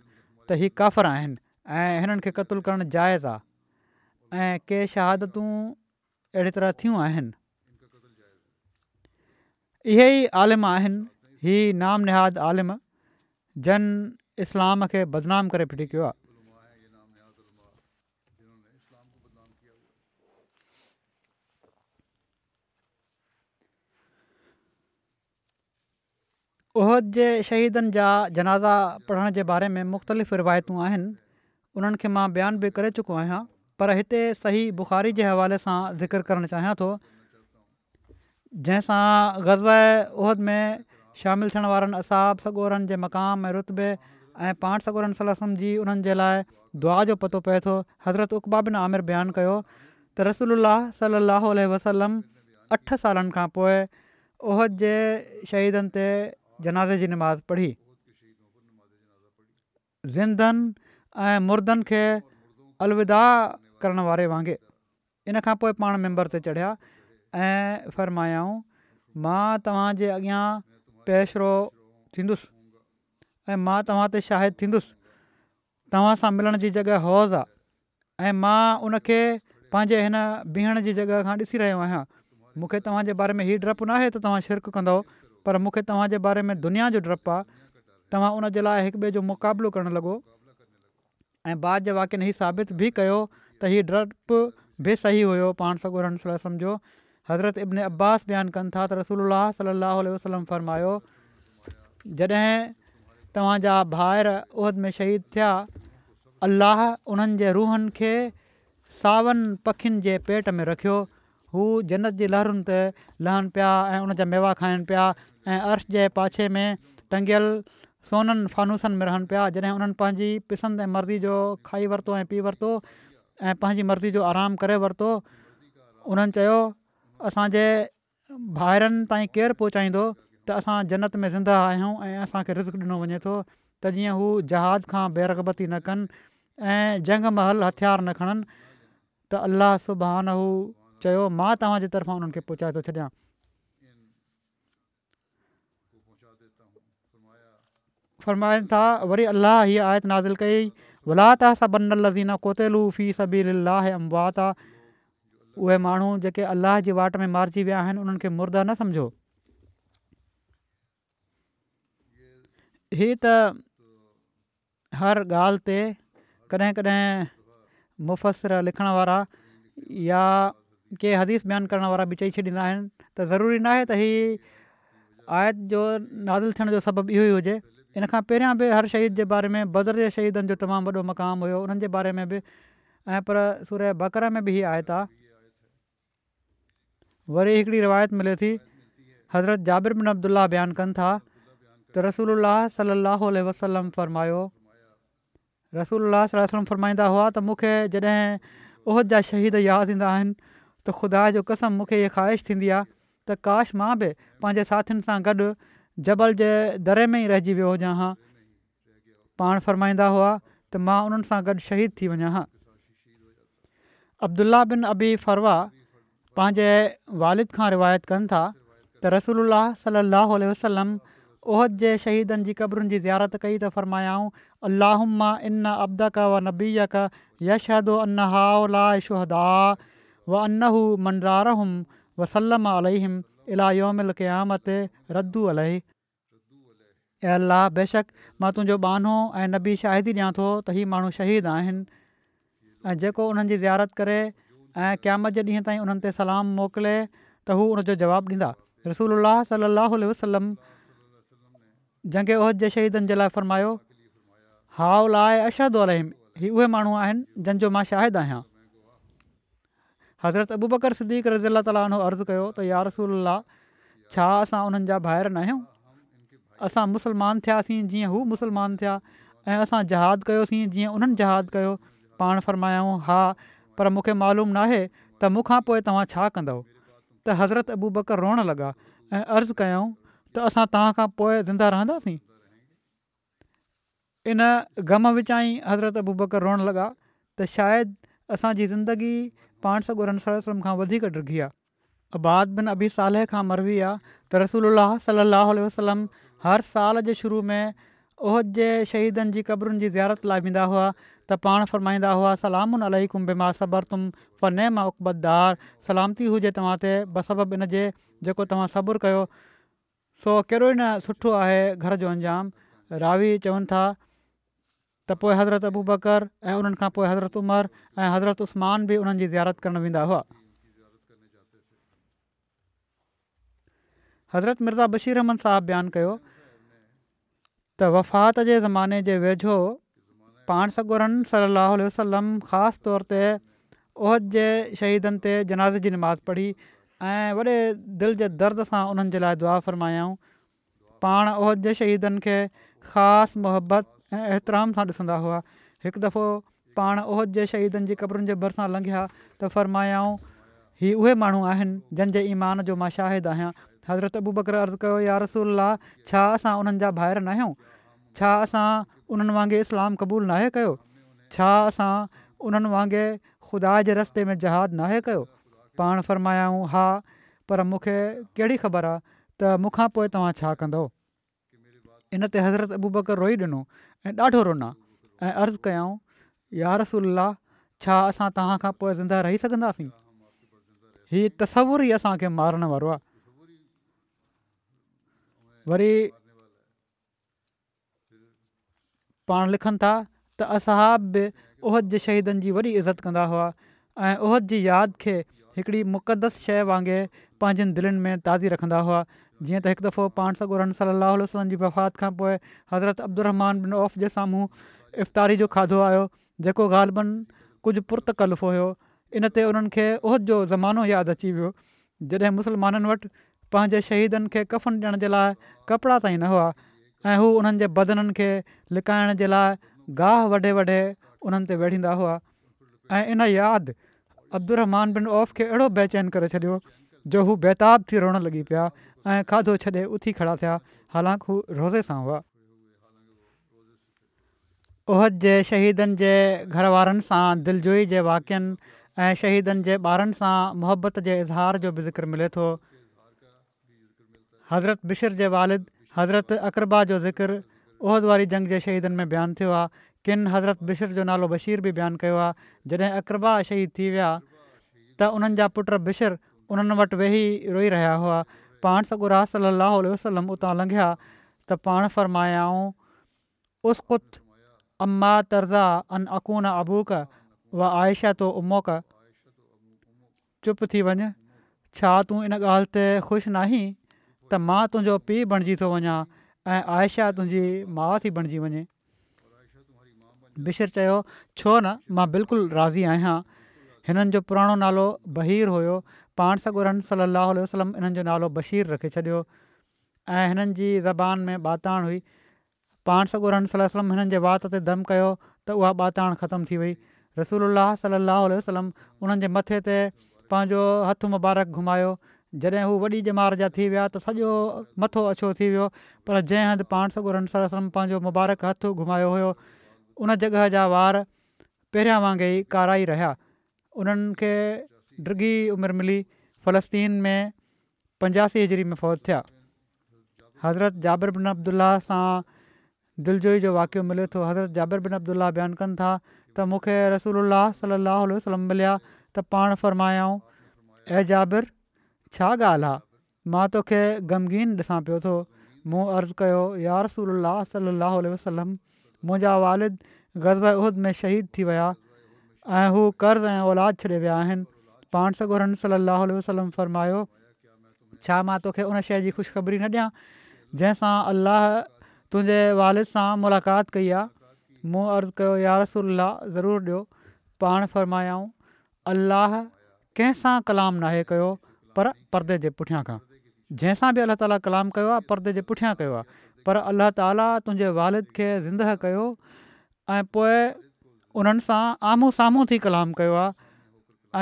ته هي ڪافر آهن ۽ هنن کي قتل ڪرڻ جائز آهي ۽ ڪي شهادتون اهڙي طرح ٿيون آهن. اهي ئي عالم آهن، هي نام نهاد عالم، جن اسلام کي بدنام ڪري ڦٽي ڪيو آهي. احد جي شهيدن جا جنازا پڙهڻ جي باري ۾ مختلف روايتون آهن، انهن کي مان بيان به ڪري چڪو آهيان، پر هتي صحيح بخاري جي حوالي سان ذڪر ڪرڻ چاهيان ٿو، جنهن سان غزوه احد ۾ شامل ٿيڻ وارن اصحاب سڳورن جي مقام ۽ رتبي ۽ پاڻ سڳورن صلي الله عليه وسلم جي انهن جي لاء دعا جو پتو پئي ٿو. حضرت عقبه بن عامر بيان ڪيو ته رسول الله صلي الله عليه وسلم اٺ سالن کان پوء احد جي شهيدن تي جنازي جي نماز پڙهي. زندن ۽ مردن کي الوداع ڪرڻ واري وانگي. ان کان پوء پاڻ منبر تي چڙهيا ۽ فرمايائون، مان توهان جي اڳيان پيش رو ٿيندس ۽ مان توهان تي شاهد ٿيندس. توهان سان ملڻ جي جڳهه حوض آ ۽ مان ان کي پنهنجي هن بيهڻ جي جڳهه کان ڏسي رهيو آهيان. مون کي توهان جي باري ۾ هي ڊپ ناهي ته توهان شرڪ ڪندؤ پر مون کي توهان جي باري ۾ دنيا جو ڊپ آ. توهان ان جي لاء هڪ ٻئي جو مقابلو ڪرڻ لڳو. ۽ بعد جي واقعن هي ثابت به ڪيو ته هي ڊپ به صحيح هيو پاڻ سڳورن صلي الله عليه وسلم جو حضرت ابن عباس بيان ڪن ٿا ته رسول الله صلي الله عليه وسلم فرمايو جڏهن توهان جا ڀائر احد ۾ شهيد ٿيا الله انهن جي روحن کي ساون پکين جي پيٽ ۾ رکيو هو جنت جي لهرن تي لهن پيا ۽ ان جا ميوا کائن پيا ۽ عرش جي پاڇي ۾ ٽنگيل سونن فانوسن ۾ رهن پيا جڏهن انهن پنهنجي پسند ۽ مرضي جو کائي ورتو ۽ پي ورتو ۽ پنهنجي مرضي جو آرام ڪري ورتو انهن چيو اسان جي ڀائرن تائين ڪير پهچائيندو ته اسان جنت ۾ زنده آهيون ۽ اسان کي رزق ڏنو وڃي ٿو ته جيئن هو جهاد کان بي رغبتي نه ڪن ۽ جنگ مهل هٿيار نه کڻن ته الله سبحانه چيو مان توهان جي طرفان انهن کي پهچائي ٿو ڇڏيان. فرمائن ٿا، وري الله هيء آيت نازل ڪئي، ولا تحسبن الذين قتلوا في سبيل الله امواتا اهي ماڻهو جيڪي الله جي واٽ ۾ مارجي ويا آهن انهن کي مرده نه سمجهو. هي ته هر ڳالهه تي ڪڏهن ڪڏهن مفسر لکڻ وارا يا ڪي حديث بيان ڪرڻ وارا به چئي ڇڏيندا آهن ته ضروري ناهي ته هي آيت جو نازل ٿيڻ جو سبب اهو ئي هجي ان کان پهريان به هر شهيد جي باري ۾ بدر جي شهيدن جو تمام وڏو مقام هيو انهن جي باري ۾ به ۽ پر سوره بقره ۾ به هي آيت آهي. وري هڪڙي روايت ملي ٿي، حضرت جابر بن عبدالله بيان ڪن ٿا ته رسول الله صلي الله عليه وسلم فرمايو، رسول الله صلي الله عليه وسلم فرمائيندا هئا ته مون کي جڏهن احد جا شهيد ياد ايندا آهن ته خدا جو قسم مون کي هيء خواهش ٿيندي آهي ته ڪاش مان به پنهنجي ساٿين سان گڏ جبل جي دري ۾ ئي رهجي ويو هجان ها. پاڻ فرمائيندا هئا ته مان انهن سان گڏ شهيد ٿي وڃان ها. عبدالله بن ابي فروه پنهنجي والد کان روايت ڪن ٿا ته رسول الله صلي الله عليه وسلم احد جي شهيدن جي قبرن جي زيارت ڪئي ته فرمايائون اللهم ان عبدک و نبيک يشهد ان هؤلاء شهداء و انه من زارهم وسلم عليهم الي يوم القيامة ردوا عليه. اي الله! بيشڪ مان تنهنجو ٻانهو ۽ نبي شاهدي ڏيان ٿو ته هي ماڻهو شهيد آهن ۽ جيڪو انهن جي زيارت ڪري ۽ قيامت جي ڏينهن تائين انهن تي سلام موڪلي ته هو ان جو جواب ڏيندا. رسول الله صلي الله عليه وسلم جنگ احد جي شهيدن جي لاء فرمايو، هؤلاء اشهد عليهم هي اهي ماڻهو آهن جن جو مان شاهد آهيان. حضرت ابوبڪر صديق رضي الله تعالٰي عنه عرض ڪيو ته يارسول الله ڇا اسان انهن جا ڀائر ناهيون؟ اسان مسلمان ٿياسين جيئن هو مسلمان ٿيا ۽ اسان جهاد ڪيوسين جيئن انهن جهاد ڪيو. پاڻ فرمايائون ها پر مون کي معلوم ناهي ته مون کان پوء توهان ڇا ڪندؤ؟ ته حضرت ابوبڪر روئڻ لڳا ۽ عرض ڪيائون ته اسان توهان کان پوء زنده رهنداسين؟ ان غم وچان ئي حضرت ابوبڪر روئڻ لڳا ته شايد اسان جي زندگي پاڻ سڳورن صلي الله عليه وسلم کان وڌيڪ ڊگهي آ. عباد بن ابي صالح کان مروي آ ته رسول الله صلي الله عليه وسلم هر سال جي شروع ۾ احد جي شهيدن جي قبرن جي زيارت لاء ويندا هئا ته پاڻ فرمائيندا هئا سلام عليڪم بما صبرتم فنعم عقبي الدار سلامتي هجي توهان تي بسبب ان جي جيڪو توهان صبر ڪيو سو ڪيڏو ئي نه سٺو آهي گهر جو انجام. راوي چون ٿا ته پوء حضرت ابوبڪر ۽ انهن کان پوء حضرت عمر ۽ حضرت عثمان به انهن جي زيارت ڪرڻ ويندا هئا. حضرت مرزا بشير احمد صاحب بيان ڪيو ته وفات جي زماني جي ويجهو پاڻ سڳورن صلي الله عليه وسلم خاص طور تي احد جي شهيدن تي جنازي جي نماز پڙهي ۽ وڏي دل جي درد سان انهن جي لاء دعا فرمايائون. پاڻ احد جي شهيدن کي خاص محبت ۽ احترام سان ڏسندا هئا. هڪ دفعو پاڻ احد جي شهيدن جي قبرن جي ڀرسان لنگهيا ته فرمايائون، هي اهي ماڻهو آهن، جن جي ايمان جو مان شاهد آهيان. حضرت ابوبڪر عرض ڪيو، يا رسول الله! ڇا اسان انهن جا ڀائر ناهيون؟ ڇا اسان انهن وانگي اسلام قبول ناهي ڪيو؟ ڇا اسان انهن وانگي خدا جي رستي ۾ جهاد ناهي ڪيو؟ پاڻ فرمايائون، ها، پر مون کي ڪهڙي خبر آ ته مون کان پوء توهان ڇا ڪندؤ؟ ان تي حضرت ابوبڪر روئي ڏنو ۽ ڏاڍو رنا ۽ عرض ڪيائون، يا رسول الله! ڇا اسان توهان کان پوء زنده رهي سگهنداسين؟ هي تصور ئي اسان کي مارڻ وارو آهي. وري پاڻ لکن ٿا ته اصحاب به احد جي شهيدن جي وڏي عزت ڪندا هئا ۽ احد جي ياد کي هڪڙي مقدس شيء وانگي پنهنجين دلين ۾ تازي رکندا هئا جيئن ته هڪ دفعو پاڻ سڳورن صلي الله عليه وسلم جي وفات کان پوء حضرت عبدالرحمان بن عوف جي سامهون افطاري جو کاڌو آيو جيڪو غالباً ڪجهه پرتڪلف هيو ان تي انهن کي احد جو زمانو ياد اچي ويو جڏهن مسلمانن وٽ پنهنجي شهيدن کي ڪفن ڏيڻ جي لاء ڪپڙا تائين نه هئا ۽ هو انهن جي بدنن کي لڪائڻ جي لاء گاهه وڍي وڍي انهن تي ويڙهيندا هئا ۽ ان ياد عبدالرحمان بن عوف کي اهڙو بيچين ڪري ڇڏيو جو هو بيتاب ٿي روئڻ لڳي پيا ۽ کاڌو ڇڏي اٿي کڙا ٿيا حالانڪ هو روزي سان هئا. احد جي شهيدن جي گهر وارن سان دلجوئي جي واقعن ۽ شهيدن جي ٻارن سان محبت جي اظهار جو به ذڪر ملي ٿو. حضرت بشر جي والد حضرت عقربا جو ذڪر احد واري جنگ جي شهيدن ۾ بيان ٿيو آهي. ڪن حضرت بشر جو نالو بشير به بيان ڪيو آهي. جڏهن عقربا شهيد ٿي ويا ته انهن جا پٽ بشر انهن وٽ ويهي روئي رهيا هئا. پاڻ سڳورا صلّي اللّٰه عليه وسلّم اتان لنگهيا ته پاڻ فرمايائون اسڪت اما ترضيٰ ان اڪون ابوڪ و عائشه امڪ چپ ٿي وڃ، ڇا تون ان ڳالهه تي خوش ناهين ته مان تنهنجو پيء بڻجي ٿو وڃان ۽ عائشه تنهنجي ماء ٿي بڻجي وڃي؟ بشر چيو، ڇو نه، مان بلڪل راضي آهيان. هنن جو پراڻو نالو بهير هيو، پاڻ سڳورن صلّي اللّٰه عليه وسلّم انهن جو نالو بشير رکي ڇڏيو ۽ هنن جي زبان ۾ ٻاتاڻ هئي. پاڻ سڳورن صلي الله عليه وسلم هنن جي وات تي دم ڪيو ته اها ٻاتاڻ ختم ٿي وئي. رسول الله صلي الله عليه وسلم انهن جي مٿي تي پنهنجو هٿ مبارڪ گهمايو. جڏهن هو وڏي ڄمار جا ٿي ويا ته سڄو مٿو اڇو ٿي ويو پر جنهن هنڌ پاڻ سڳورن صلي الله عليه وسلم پنهنجو مبارڪ هٿ گهمايو هيو ان جڳهه جا وار پهريان وانگي ئي ڪارا ئي رهيا. انهن کي ڊگهي عمر ملي. فلسطين ۾ 85 هجري ۾ فوت ٿيا. حضرت جابر بن عبدالله سان دلجوئي جو واقعو ملي ٿو. حضرت جابر بن عبدالله بيان ڪن ٿا ته مون کي رسول الله صلي الله عليه وسلم مليا ته پاڻ فرمايائون، اي جابر! ڇا ڳالهه آ؟ مان توکي غمگين ڏسان پيو ٿو. مون عرض ڪيو، يا رسول الله صلي الله عليه وسلم! منهنجا والد غزوه احد ۾ شهيد ٿي ويا ۽ هو قرض ۽ اولاد ڇڏي ويا آهن. پاڻ سڳورن صلّي اللّٰه عليه وسلّم فرمايو، ڇا مان توکي ان شيء جي خوشخبري نه ڏيان جنهن سان الله تنهنجي والد سان ملاقات ڪئي آ. مون عرض ڪيو يا رسول الله ضرور ڏيو. پاڻ فرمايائون الله ڪنهن سان ڪلام ناهي ڪيو پر پردي جي پٺيان کان. جنهن سان به الله تعاليٰ ڪلام ڪيو آ پردي جي پٺيان ڪيو آ پر الله تعاليٰ تنهنجي والد کي زندهه ڪيو ۽ پوء انهن سان آمهون سامهون ٿي ڪلام ڪيو آ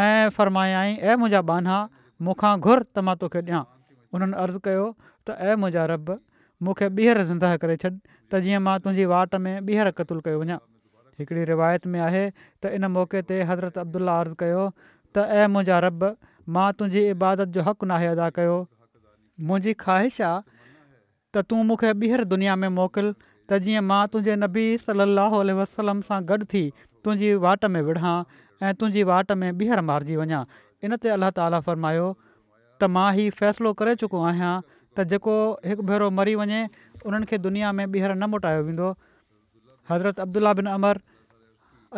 ۽ فرمايائين اي منهنجا ٻانها مون کان گهر ته مان توکي ڏيان. انهن عرض ڪيو ته اي منهنجا رب! مون کي ٻيهر زندهه ڪري ڇڏ ته جيئن مان تنهنجي واٽ ۾ ٻيهر قتل ڪيو وڃان. هڪڙي روايت ۾ آهي ته ان موقعي تي حضرت عبدالله عرض ڪيو ته اي منهنجا رب! مان تنهنجي عبادت جو حق ناهي ادا ڪيو. منهنجي خواهش آ ته تون مون کي ٻيهر دنيا ۾ موڪل ته جيئن مان تنهنجي نبي صلّي اللّٰه عليه وسلّم سان گڏ ٿي تنهنجي واٽ ۾ وڙهان ۽ تنهنجي واٽ ۾ ٻيهر مارجي وڃان. ان تي الله تعاليٰ فرمايو ته مان هي فيصلو ڪري چڪو آهيان ته جيڪو هڪ ڀيرو مري وڃي انهن کي دنيا ۾ ٻيهر نه موٽايو ويندو. حضرت عبدالله بن عمرو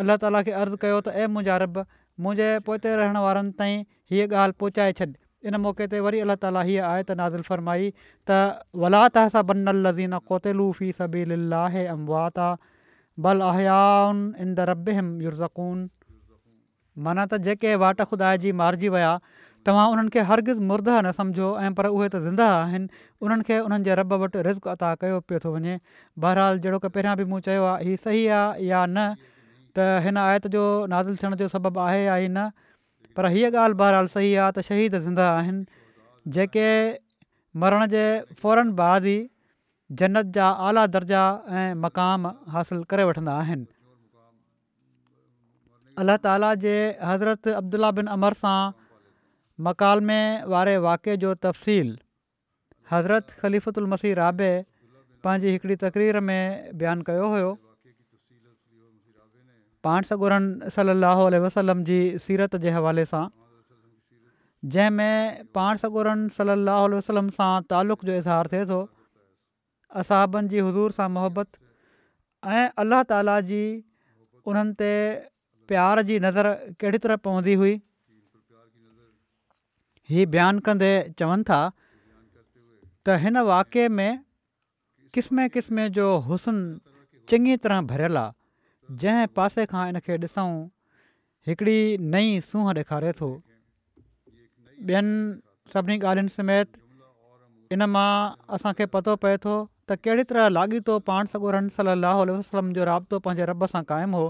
الله تعاليٰ کي عرض ڪيو ته اي منهنجا رب! منهنجي پوئتي رهڻ وارن تائين هيء ڳالهه پهچائي ڇڏ. ان موقعي تي وري الله تعاليٰ هيء آيت نازل فرمائي ته ولا تحسبن الذين قتلوا في سبيل الله امواتا بل احياء عند ربهم يرزقون. معنيٰ ته جيڪي واٽ خدا جي مارجي ويا، توهان انهن کي هرگز مرده نه سمجهو ۽ پر اهي ته زنده آهن، انهن کي انهن جي رب وٽ رزق عطا ڪيو پيو ٿو وڃي. بهرحال جهڙوڪ پهريان به مون چيو آهي هي صحيح آهي يا نه ته هن آيت جو نازل ٿيڻ جو سبب آهي يا نه پر هيء ڳالهه بهرحال صحيح آهي ته شهيد زنده آهن جيڪي مرڻ جي فوراً بعد ئي جنت جا اعليٰ درجا ۽ مقام حاصل ڪري وٺندا آهن. الله تعاليٰ جي حضرت عبدالله بن عمرو سان مڪالمي واري واقعي جو تفصيل حضرت خليفة المسيح رابع پنهنجي هڪڙي تقرير ۾ بيان ڪيو هيو. پاڻ سڳورن صلي الله عليه وسلم جي سيرت جي حوالي سان جنهن ۾ پاڻ سڳورن صلي الله عليه وسلم سان تعلق جو اظهار ٿئي ٿو. اصحابن جي حضور سان محبت ۽ الله تعالي جي انهن تي پيار جي نظر ڪهڙي طرح پوندي هئي هي بيان ڪندي چون ٿا ته هن واقعي ۾ قسمين قسمين جو حسن چڱي طرح ڀريل آ جنهن پاسي کان ان کي ڏسون هڪڙي نئين سونهن ڏيکاري ٿو. ٻين سڀني ڳالهين سميت ان مان اسان کي پتو پئي ٿو ته ڪهڙي طرح لاڳيتو پاڻ سڳورن صلي الله عليه وسلم جو رابطو پنهنجي رب سان قائم هو.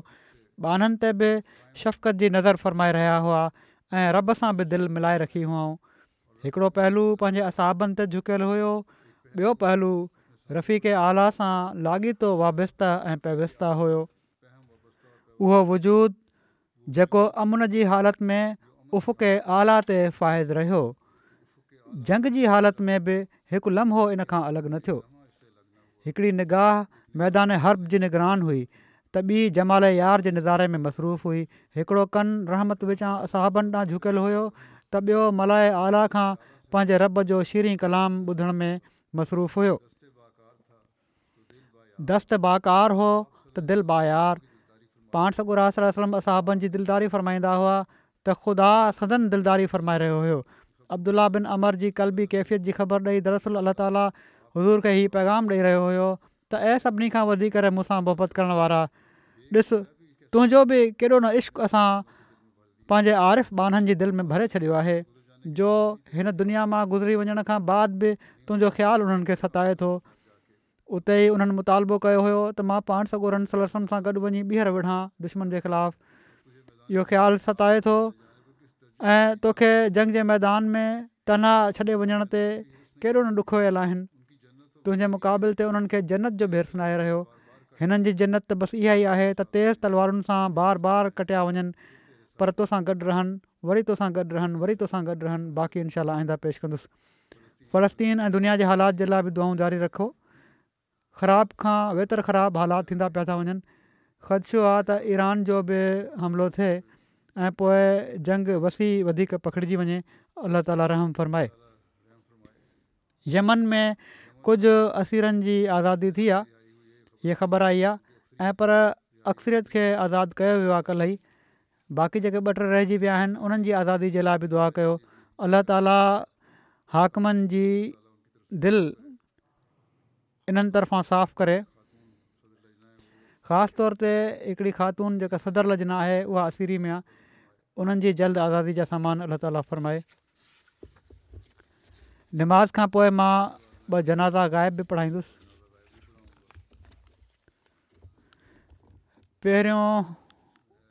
ٻانهن تي به شفقت جي نظر فرمائي رهيا هئا ۽ رب سان به دل ملائي رکي هئائون. هڪڙو پهلو پنهنجي اصحابن تي جهڪيل هيو، ٻيو پهلو رفيق اعليٰ سان لاڳيتو وابسته ۽ پيوسته هيو. اهو وجود جيڪو امن جي حالت ۾ افق اعليٰ تي فائز رهيو، جنگ جي حالت ۾ به هڪ لمحو ان کان الڳ نه ٿيو. هڪڙي نگاهه ميدان حرب جي نگران هئي ته ٻي جمال يار جي نظاري ۾ مصروف هئي. هڪڙو ڪن رحمت وچان اصحابن ڏانهن جهڪيل هيو ته ٻيو ملاء اعليٰ کان پنهنجي رب جو شيرين ڪلام ٻڌڻ ۾ مصروف هيو. دست باڪار هو ته دل بايار. پاڻ سڳورا صلي الله عليه وسلم اصحابن جي دلداري فرمائيندا هئا ته خدا سندن دلداري فرمائي رهيو هيو. عبدالله بن عمرو جي قلبي ڪيفيت جي خبر ڏئي دراصل الله تعالي حضور کي هي پيغام ڏئي رهيو هيو ته اي سڀني کان وڌي ڪري مون سان محبت ڪرڻ وارا! ڏس تنهنجو به ڪيڏو نه عشق اسان پنهنجي عارف ٻانهن جي دل ۾ ڀري ڇڏيو آهي جو هن دنيا مان گذري وڃڻ کان بعد به تنهنجو خيال انهن کي ستائي ٿو. اتي ئي انهن مطالبو ڪيو هيو ته مان پاڻ سڳورن صلي الله عليه وسلم سان گڏ وڃي ٻيهر وڙهان دشمن جي خلاف اهو خيال ستائي ٿو ۽ توکي جنگ جي ميدان ۾ تنها ڇڏي وڃڻ تي ڪيڏو نه ڏکويل آهن تنهنجي مقابل تي انهن کي جنت جو به حرص ناهي رهيو هنن جي جنت ته بس اها ئي آهي ته تيز تلوارن سان بار بار ڪٽيا وڃن پر توسان گڏ رهن وري توسان گڏ رهن وري توسان گڏ رهن باقي انشاء الله آئنده پيش ڪندس فلسطين ۽ دنيا جي حالات جي لاء به دعائون جاري رکو. خراب کان ويتر خراب حالات ٿيندا پيا ٿا وڃن. خدشو آ ته ايران جو به حملو ٿئي ۽ پوء جنگ وسيع وڌيڪ پکڙجي وڃي. الله تعالي رحم فرمائي. يمن ۾ ڪجهه اسيرن جي آزادي ٿي آ هيء خبر آئي آ ۽ پر اڪثريت کي آزاد ڪيو ويو آ ڪلهه ئي. باقي جيڪي ٻه ٽي رهجي ويا آهن انهن جي آزادي جي لاء به دعا ڪيو الله تعالي حاڪمن جي دل انهن طرفان صاف ڪري. خاص طور تي هڪڙي خاتون جيڪا صدر لجنه آهي اها اسيري ۾ آهي انهن جي جلد آزادي جا سامان الله تعالي فرمائي. نماز کان پوء مان ٻه جنازا غائب به پڙهائيندس. پهريون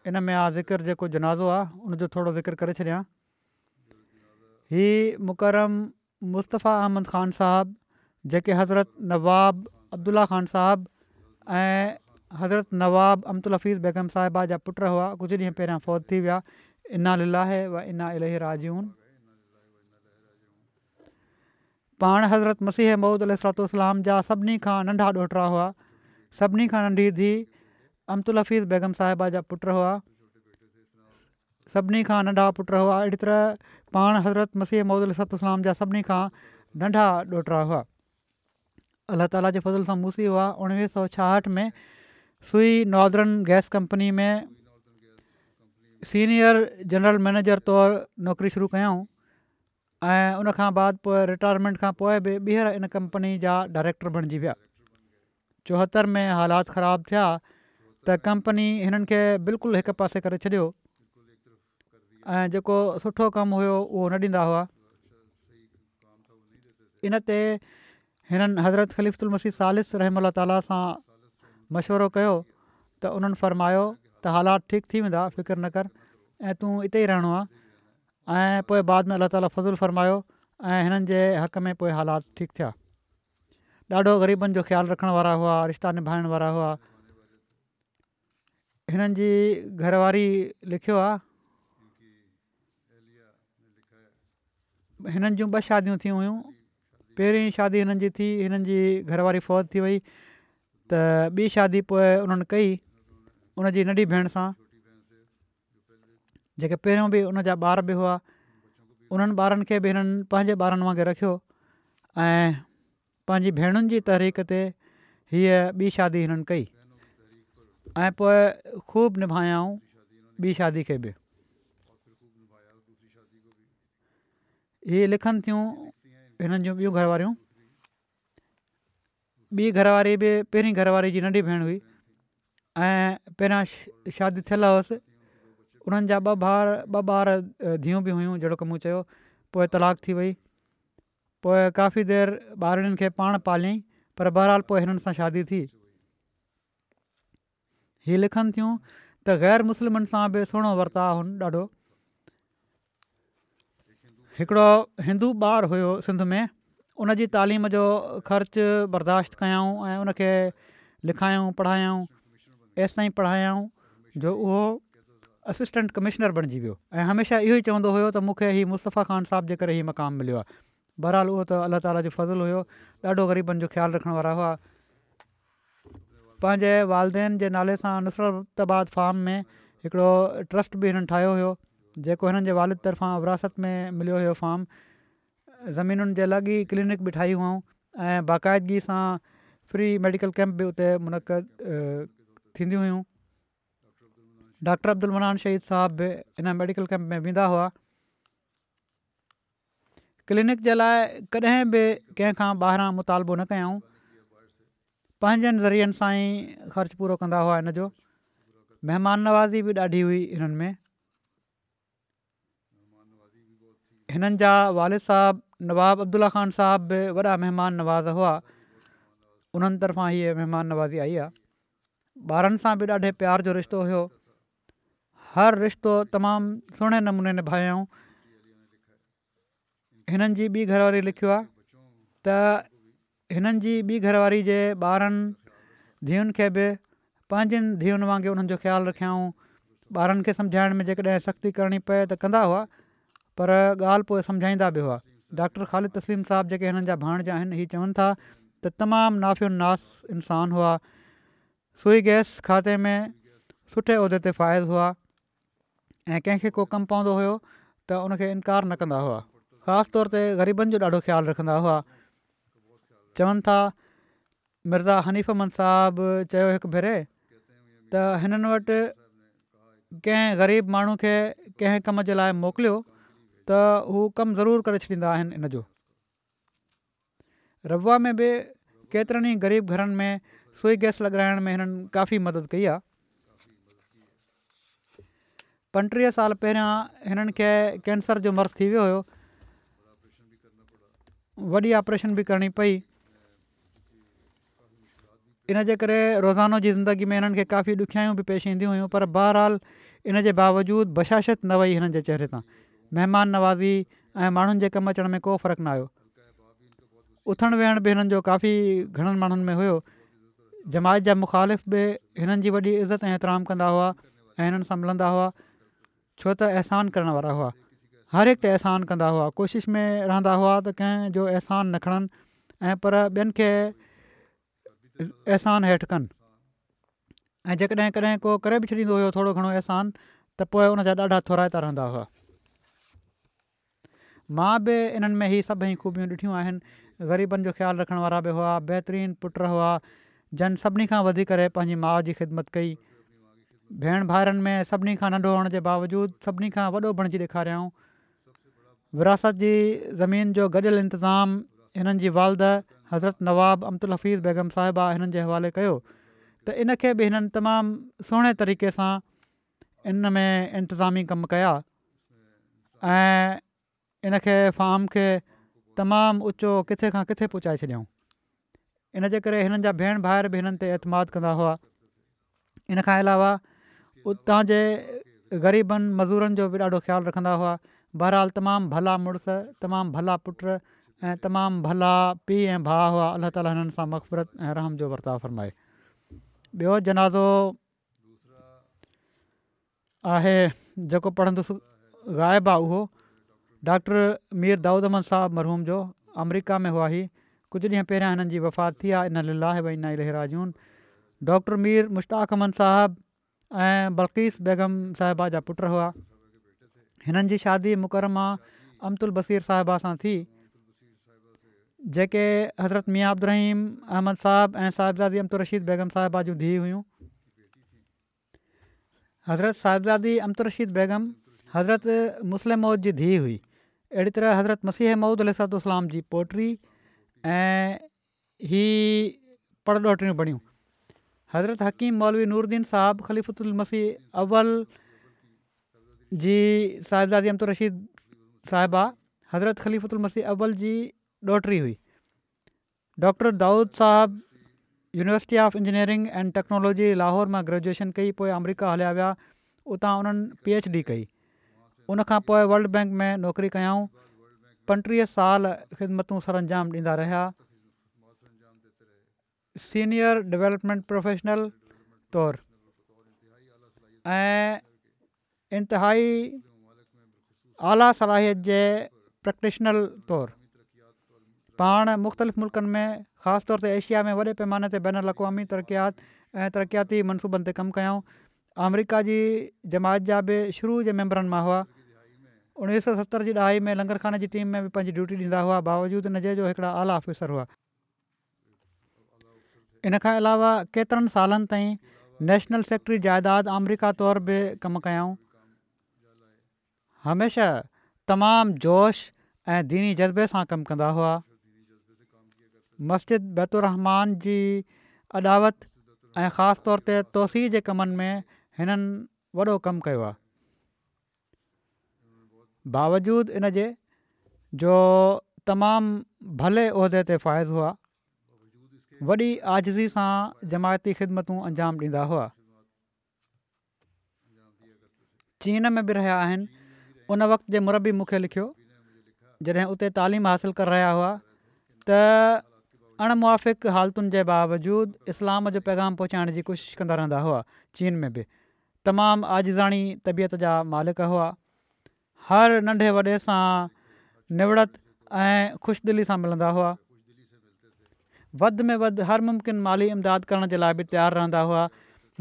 ان ۾ آ ذڪر جيڪو جنازو آ ان جو ٿورو ذڪر ڪري ڇڏيان. هي مڪرم مصطفيٰ احمد خان صاحب جيڪي حضرت نواب عبدالله خان صاحب ۽ حضرت نواب امة الحفيظ بيگم صاحبه جا پٽ هئا ڪجهه ڏينهن پهريان فوت ٿي ويا انا لله و انا اليه راجعون پاڻ حضرت مسيح موعود عليه الصلوة والسلام جا سڀني کان ننڍا ڏوهٽا هئا سڀني کان ننڍي ڌيء امة الحفيظ بيگم صاحبه جا پٽ هئا سڀني کان ننڍا پٽ هئا اهڙي طرح پاڻ حضرت مسيح موعود عليه الصلوة والسلام جا سڀني کان ننڍا ڏوهٽا هئا. الله تعالي جي فضل سان موصي هئا 1966 ۾ سوئي northern gas company ۾ senior general manager طور نوڪري شروع ڪيائون ۽ ان کان بعد پوء رٽائرمينٽ کان پوء به ٻيهر ان ڪمپني جا ڊائريڪٽر بڻجي ويا. 74 ۾ حالات خراب ٿيا ته ڪمپني هنن کي بلڪل هڪ پاسي ڪري ڇڏيو ۽ جيڪو سٺو ڪم هيو اهو نه ڏيندا هئا ان تي هنن حضرت خليفة المسيح ثالث رحمه الله تعاليٰ سان مشورو ڪيو ته انهن فرمايو ته حالات ٺيڪ ٿي ويندا فڪر نه ڪر ۽ تون اتي ئي رهڻو آهي ۽ پوء بعد ۾ الله تعاليٰ فضل فرمايو ۽ هنن جي حق ۾ پوء حالات ٺيڪ ٿيا ڏاڍو غريبن جو خيال رکڻ وارا هئا، رشتا نڀائڻ وارا هئا. هنن جي گهر واري لکيو آ. هنن جون ٻه شاديون ٿيون هيون. پهرين شادي هنن جي ٿي، هنن جي گهر واري فوت ٿي وئي ته ٻي شادي پوء انهن ڪئي ان جي ننڍي ڀيڻ سان. جيڪي پهريون به ان جا ٻار به هئا انهن ٻارن کي به هنن پنهنجي ٻارن وانگي رکيو ۽ پنهنجي ڀيڻن جي تحريڪ تي هيء ٻي شادي هنن ڪئي ۽ پوء خوب نڀايائون ٻي شادي کي به هي لکن ٿيون هنن جون ٻيون گهر واريون ٻي گهر واري به پهرين گهر واري جي ننڍي ڀيڻ هئي ۽ پهريان شادي ٿيل هئس انهن جا ٻه ڀار ٻه ٻار ڌيئون به هيون جهڙوڪ مون چيو پوء طلاق ٿي وئي پوء ڪافي دير ٻارڙين کي پاڻ پاليائين پر بهرحال پوء هنن سان شادي ٿي. هي لکن ٿيون ته غير مسلمن سان به سهڻو ورتاء هن ڏاڍو. هڪڙو هندو ٻار هيو سنڌ ۾ ان جي تعليم جو خرچ برداشت ڪيائون ۽ ان کي لکايائون پڙهايائون ايستائين پڙهايائون جو اهو اسسٽنٽ ڪمشنر بڻجي ويو ۽ هميشه اهو ئي چوندو هيو ته مون کي هي مصطفيٰ خان صاحب جي ڪري هي مقام مليو آهي بهرحال اهو ته الله تعاليٰ جو فضل هيو ڏاڍو غريبن جو خيال رکڻ وارا هئا. پنهنجي والدين جي نالي سان نصرت آباد فارم ۾ هڪڙو ٽرسٽ به هنن ٺاهيو هيو جيڪو هنن جي والد طرفان وراثت ۾ مليو هيو فارم زمينن جي الڳ ئي ڪلينڪ به ٺاهي هئائون ۽ باقاعدگي سان فري ميڊيڪل ڪيمپ به اتي منعقد ٿينديون هيون ڊاڪٽر عبدالمنان شهيد صاحب به ان ميڊيڪل ڪيمپ ۾ ويندا هئا ڪلينڪ جي لاء ڪڏهن به ڪنهن کان ٻاهران مطالبو نه ڪيائون پنهنجن ذريعن سان ئي خرچ پورو ڪندا هئا ان جو مهمان نوازي به ڏاڍي هئي هنن ۾ هنن جا والد صاحب نواب عبدالله خان صاحب به وڏا مهمان نواز هئا انهن طرفان هيء مهمان نوازي آئي آهي ٻارن سان به ڏاڍي پيار جو رشتو هيو هر رشتو تمام سهڻي نموني نڀايائون. هنن جي ٻي گهر واري لکيو آهي ته هنن جي ٻي گهر واري جي ٻارن ڌيئن کي به پنهنجين ڌيئن وانگي انهن جو خيال رکيائون ٻارن کي سمجهائڻ ۾ جيڪڏهن سختي ڪرڻي پئي ته ڪندا هئا پر ڳالهه پوء سمجهائيندا به هئا ڊاڪٽر خالد تسليم صاحب جيڪي هنن جا ڀاڻيجا آهن هي چون ٿا ته تمام نافع الناس انسان هئا سوئي گئس کاتي ۾ سٺي عهدي تي فائز هئا ۽ ڪنهن کي ڪو ڪم پوندو هيو ته ان کي انڪار نه ڪندا هئا خاص طور تي غريبن جو ڏاڍو خيال رکندا هئا چون ٿا مرزا حنيف احمد صاحب چيو هڪ ڀيري ته هنن وٽ ڪنهن غريب ماڻهو کي ڪنهن ڪم جي لاء موڪليو ته هو ڪم ضرور ڪري ڇڏيندا آهن ان جو ربوه ۾ به ڪيترن ئي غريب گهرن ۾ سوئي گئس لڳرائڻ ۾ هنن ڪافي مدد ڪئي آهي. 35 سال پهريان هنن کي ڪينسر جو مرض ٿي ويو هيو. وڏي آپريشن به ڪرڻي پئي. ان جي ڪري روزانو جي زندگي ۾ هنن کي ڪافي ڏکيائيون به پيش اينديون هيون پر بهرحال ان جي باوجود بشاشت نه وئي هنن جي چهري تان مهمان نوازي ۽ ماڻهن جي ڪم اچڻ ۾ ڪو فرق نه آيو. اٿڻ ويهڻ به هنن جو ڪافي گهڻن ماڻهن ۾ هيو. جماعت جا مخالف به هنن جي وڏي عزت ۽ احترام ڪندا هئا ۽ هنن سان ملندا هئا ڇو ته احسان ڪرڻ وارا هئا. هر هڪ تي احسان ڪندا هئا. ڪوشش ۾ رهندا هئا ته ڪنهن جو احسان نه کڻن ۽ پر ٻين کي احسان هيٺ ڪن ۽ جيڪڏهن ڪڏهن ڪو ڪري به ڇڏيندو هيو ٿورو گهڻو احسان ته پوء ان جا ڏاڍا ٿورائتا رهندا هئا. مان به انهن ۾ هي سڀئي خوبيون ڏٺيون آهن. غريبن جو خيال رکڻ وارا به هئا، بهترين پٽ هئا، جن سڀني کان وڌي ڪري پنهنجي ماء جي خدمت ڪئي. ڀيڻ ڀائرن ۾ سڀني کان ننڍو هئڻ جي باوجود سڀني کان وڏو بڻجي ڏيکاريائون. وراثت جي زمين جو گڏيل انتظام هنن جي والده حضرت نواب امة الحفيظ بيگم صاحبه هنن جي حوالي ڪيو ته ان کي به هنن تمام سهڻي طريقي سان ان ۾ انتظامي ڪم ڪيا ۽ ان کي فارم کي تمام اوچو ڪٿي کان ڪٿي پهچائي ڇڏيائون ان جي ڪري هنن جا ڀيڻ ڀائر به هنن تي اعتماد ڪندا هئا ان کان علاوه اتان جي غريبن مزورن جو به ڏاڍو خيال رکندا هئا بهرحال تمام ڀلا مڙس تمام ڀلا پٽ ۽ تمام ڀلا پيء ۽ ڀاء هئا الله تعالي هنن سان مغفرت ۽ رحم جو ورتاء فرمائي ٻيو جنازو آهي جيڪو پڙهندس غائب آ اهو ڊاڪٽر مير دائود احمد صاحب مرحوم جو آمريڪا ۾ هئا هي ڪجهه ڏينهن پهريان هنن جي وفات ٿي آ انا لله و انا اليه راجعون ڊاڪٽر مير مشتاق احمد صاحب ۽ بلقيس بيگم صاحبه جا پٽ هئا هنن جي شادي مڪرمه امة البصير صاحبه سان ٿي جيڪي حضرت ميان عبدالرحيم احمد صاحب ۽ صاحبزادي امة الرشيد بيگم صاحبه جون ڌيء هيون. حضرت صاحبزادي امة الرشيد بيگم حضرت مصلح موعود جي ڌيء هئي. اهڙي طرح حضرت مسيح موعود عليه الصلوة والسلام جي پوٽي ۽ هي پڙ ڏوهٽڙيون بڻيون. حضرت حڪيم مولوي نور الدين صاحب خليفة المسيح اول جي صاحبزادي امة الرشيد صاحبه حضرت خليفة المسيح اول جي ڏوهٽري هئي. ڊاڪٽر دائود صاحب university of engineering and technology Lahore مان گريجوئيشن ڪئي پوء آمريڪا هليا ويا اتان انهن پي ايڇ ڊي ڪئي. ان کان پوء ورلڊ بئنڪ ۾ نوڪري ڪيائون. 35 سال خدمتون سرانجام ڏيندا رهيا. سينيئر ڊولپمينٽ پروفيشنل طور ۽ انتهائي اعليٰ صلاحيت جي پريڪٽيشنر طور پاڻ مختلف ملڪن ۾ خاص طور تي ايشيا ۾ وڏي پيماني تي بين الاقوامي ترقيات ۽ ترقياتي منصوبن تي ڪم ڪيائون آمريڪا جي جماعت جا به شروع جي ميمبرن مان هئا 1970 جي ڏهائي ۾ لنگر خاني جي ٽيم ۾ به پنهنجي ڊيوٽي ڏيندا هئا باوجود ان جي جو هڪڙا اعليٰ آفيسر هئا. ان کان علاوه ڪيترن سالن تائين نيشنل سيڪريٽري جائيداد آمريڪا طور به ڪم ڪيائون. هميشه تمام جوش ۽ ديني جذبي سان ڪم ڪندا هئا. مسجد بيت الرحمان جي اڏاوت ۽ خاص طور تي توسيع جي ڪمن ۾ هنن وڏو ڪم ڪيو آهي. باوجود ان جي جو تمام ڀلي عهدي تي فائز هئا، وڏي عاجزي سان جماعتي خدمتون انجام ڏيندا هئا. چين ۾ به رهيا آهن، ان وقت جي مربي مون کي لکيو، جڏهن اتي تعليم حاصل ڪري رهيا هئا ته اڻ موافق حالتن جي باوجود اسلام جو پيغام پهچائڻ جي ڪوشش ڪندا رهندا هئا، چين ۾ به تمام عاجزاڻي طبيعت جا مالڪ هئا. هر ننڍي وڏي سان نوڙت ۽ خوش دلي سان ملندا هئا. وڌ ۾ وڌ هر ممڪن مالي امداد ڪرڻ جي لاء به تيار رهندا هئا.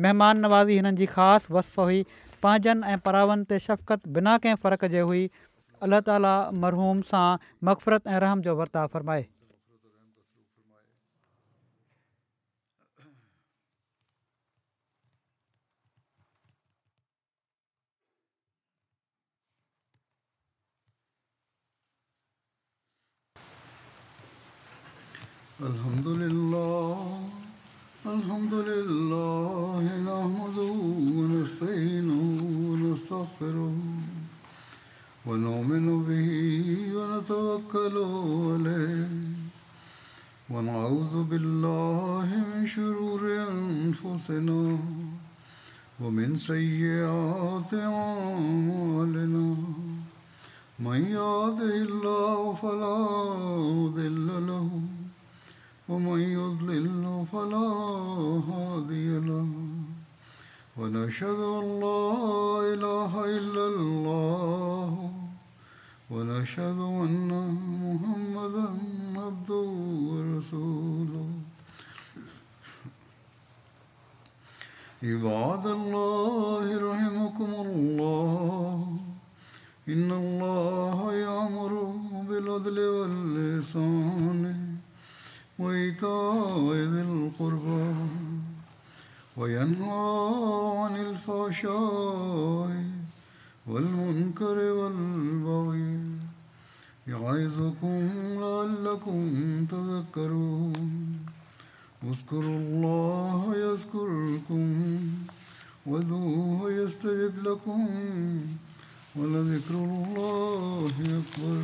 مهمان نوازي هنن جي خاص وصف هئي. پنهنجن ۽ پراون تي شفقت بنا ڪنهن فرق جي هئي. الله تعالي مرحوم سان مغفرت ۽ رحم جو ورتاء فرمائي. الحمد لله. لله نحمده ونستعينه ونستغفره ونؤمن به ونتوكل عليه ونعوذ بالله من شرور أنفسنا ومن سيئات أعمالنا من يهده الله فلا مضل له ومن يضلل فلا هادي له ونشهد أن لا إله إلا الله ونشهد أن محمدا عبده ورسوله. عباد الله رحمكم الله، إن الله يأمر بالعدل والإحسان وإيتاء ذي القربى وينهى عن الفحشاء والمنكر والبغي يعظكم لعلكم تذكرون. اذكروا الله يذكركم وادعوه يستجب لكم ولذكر الله أكبر.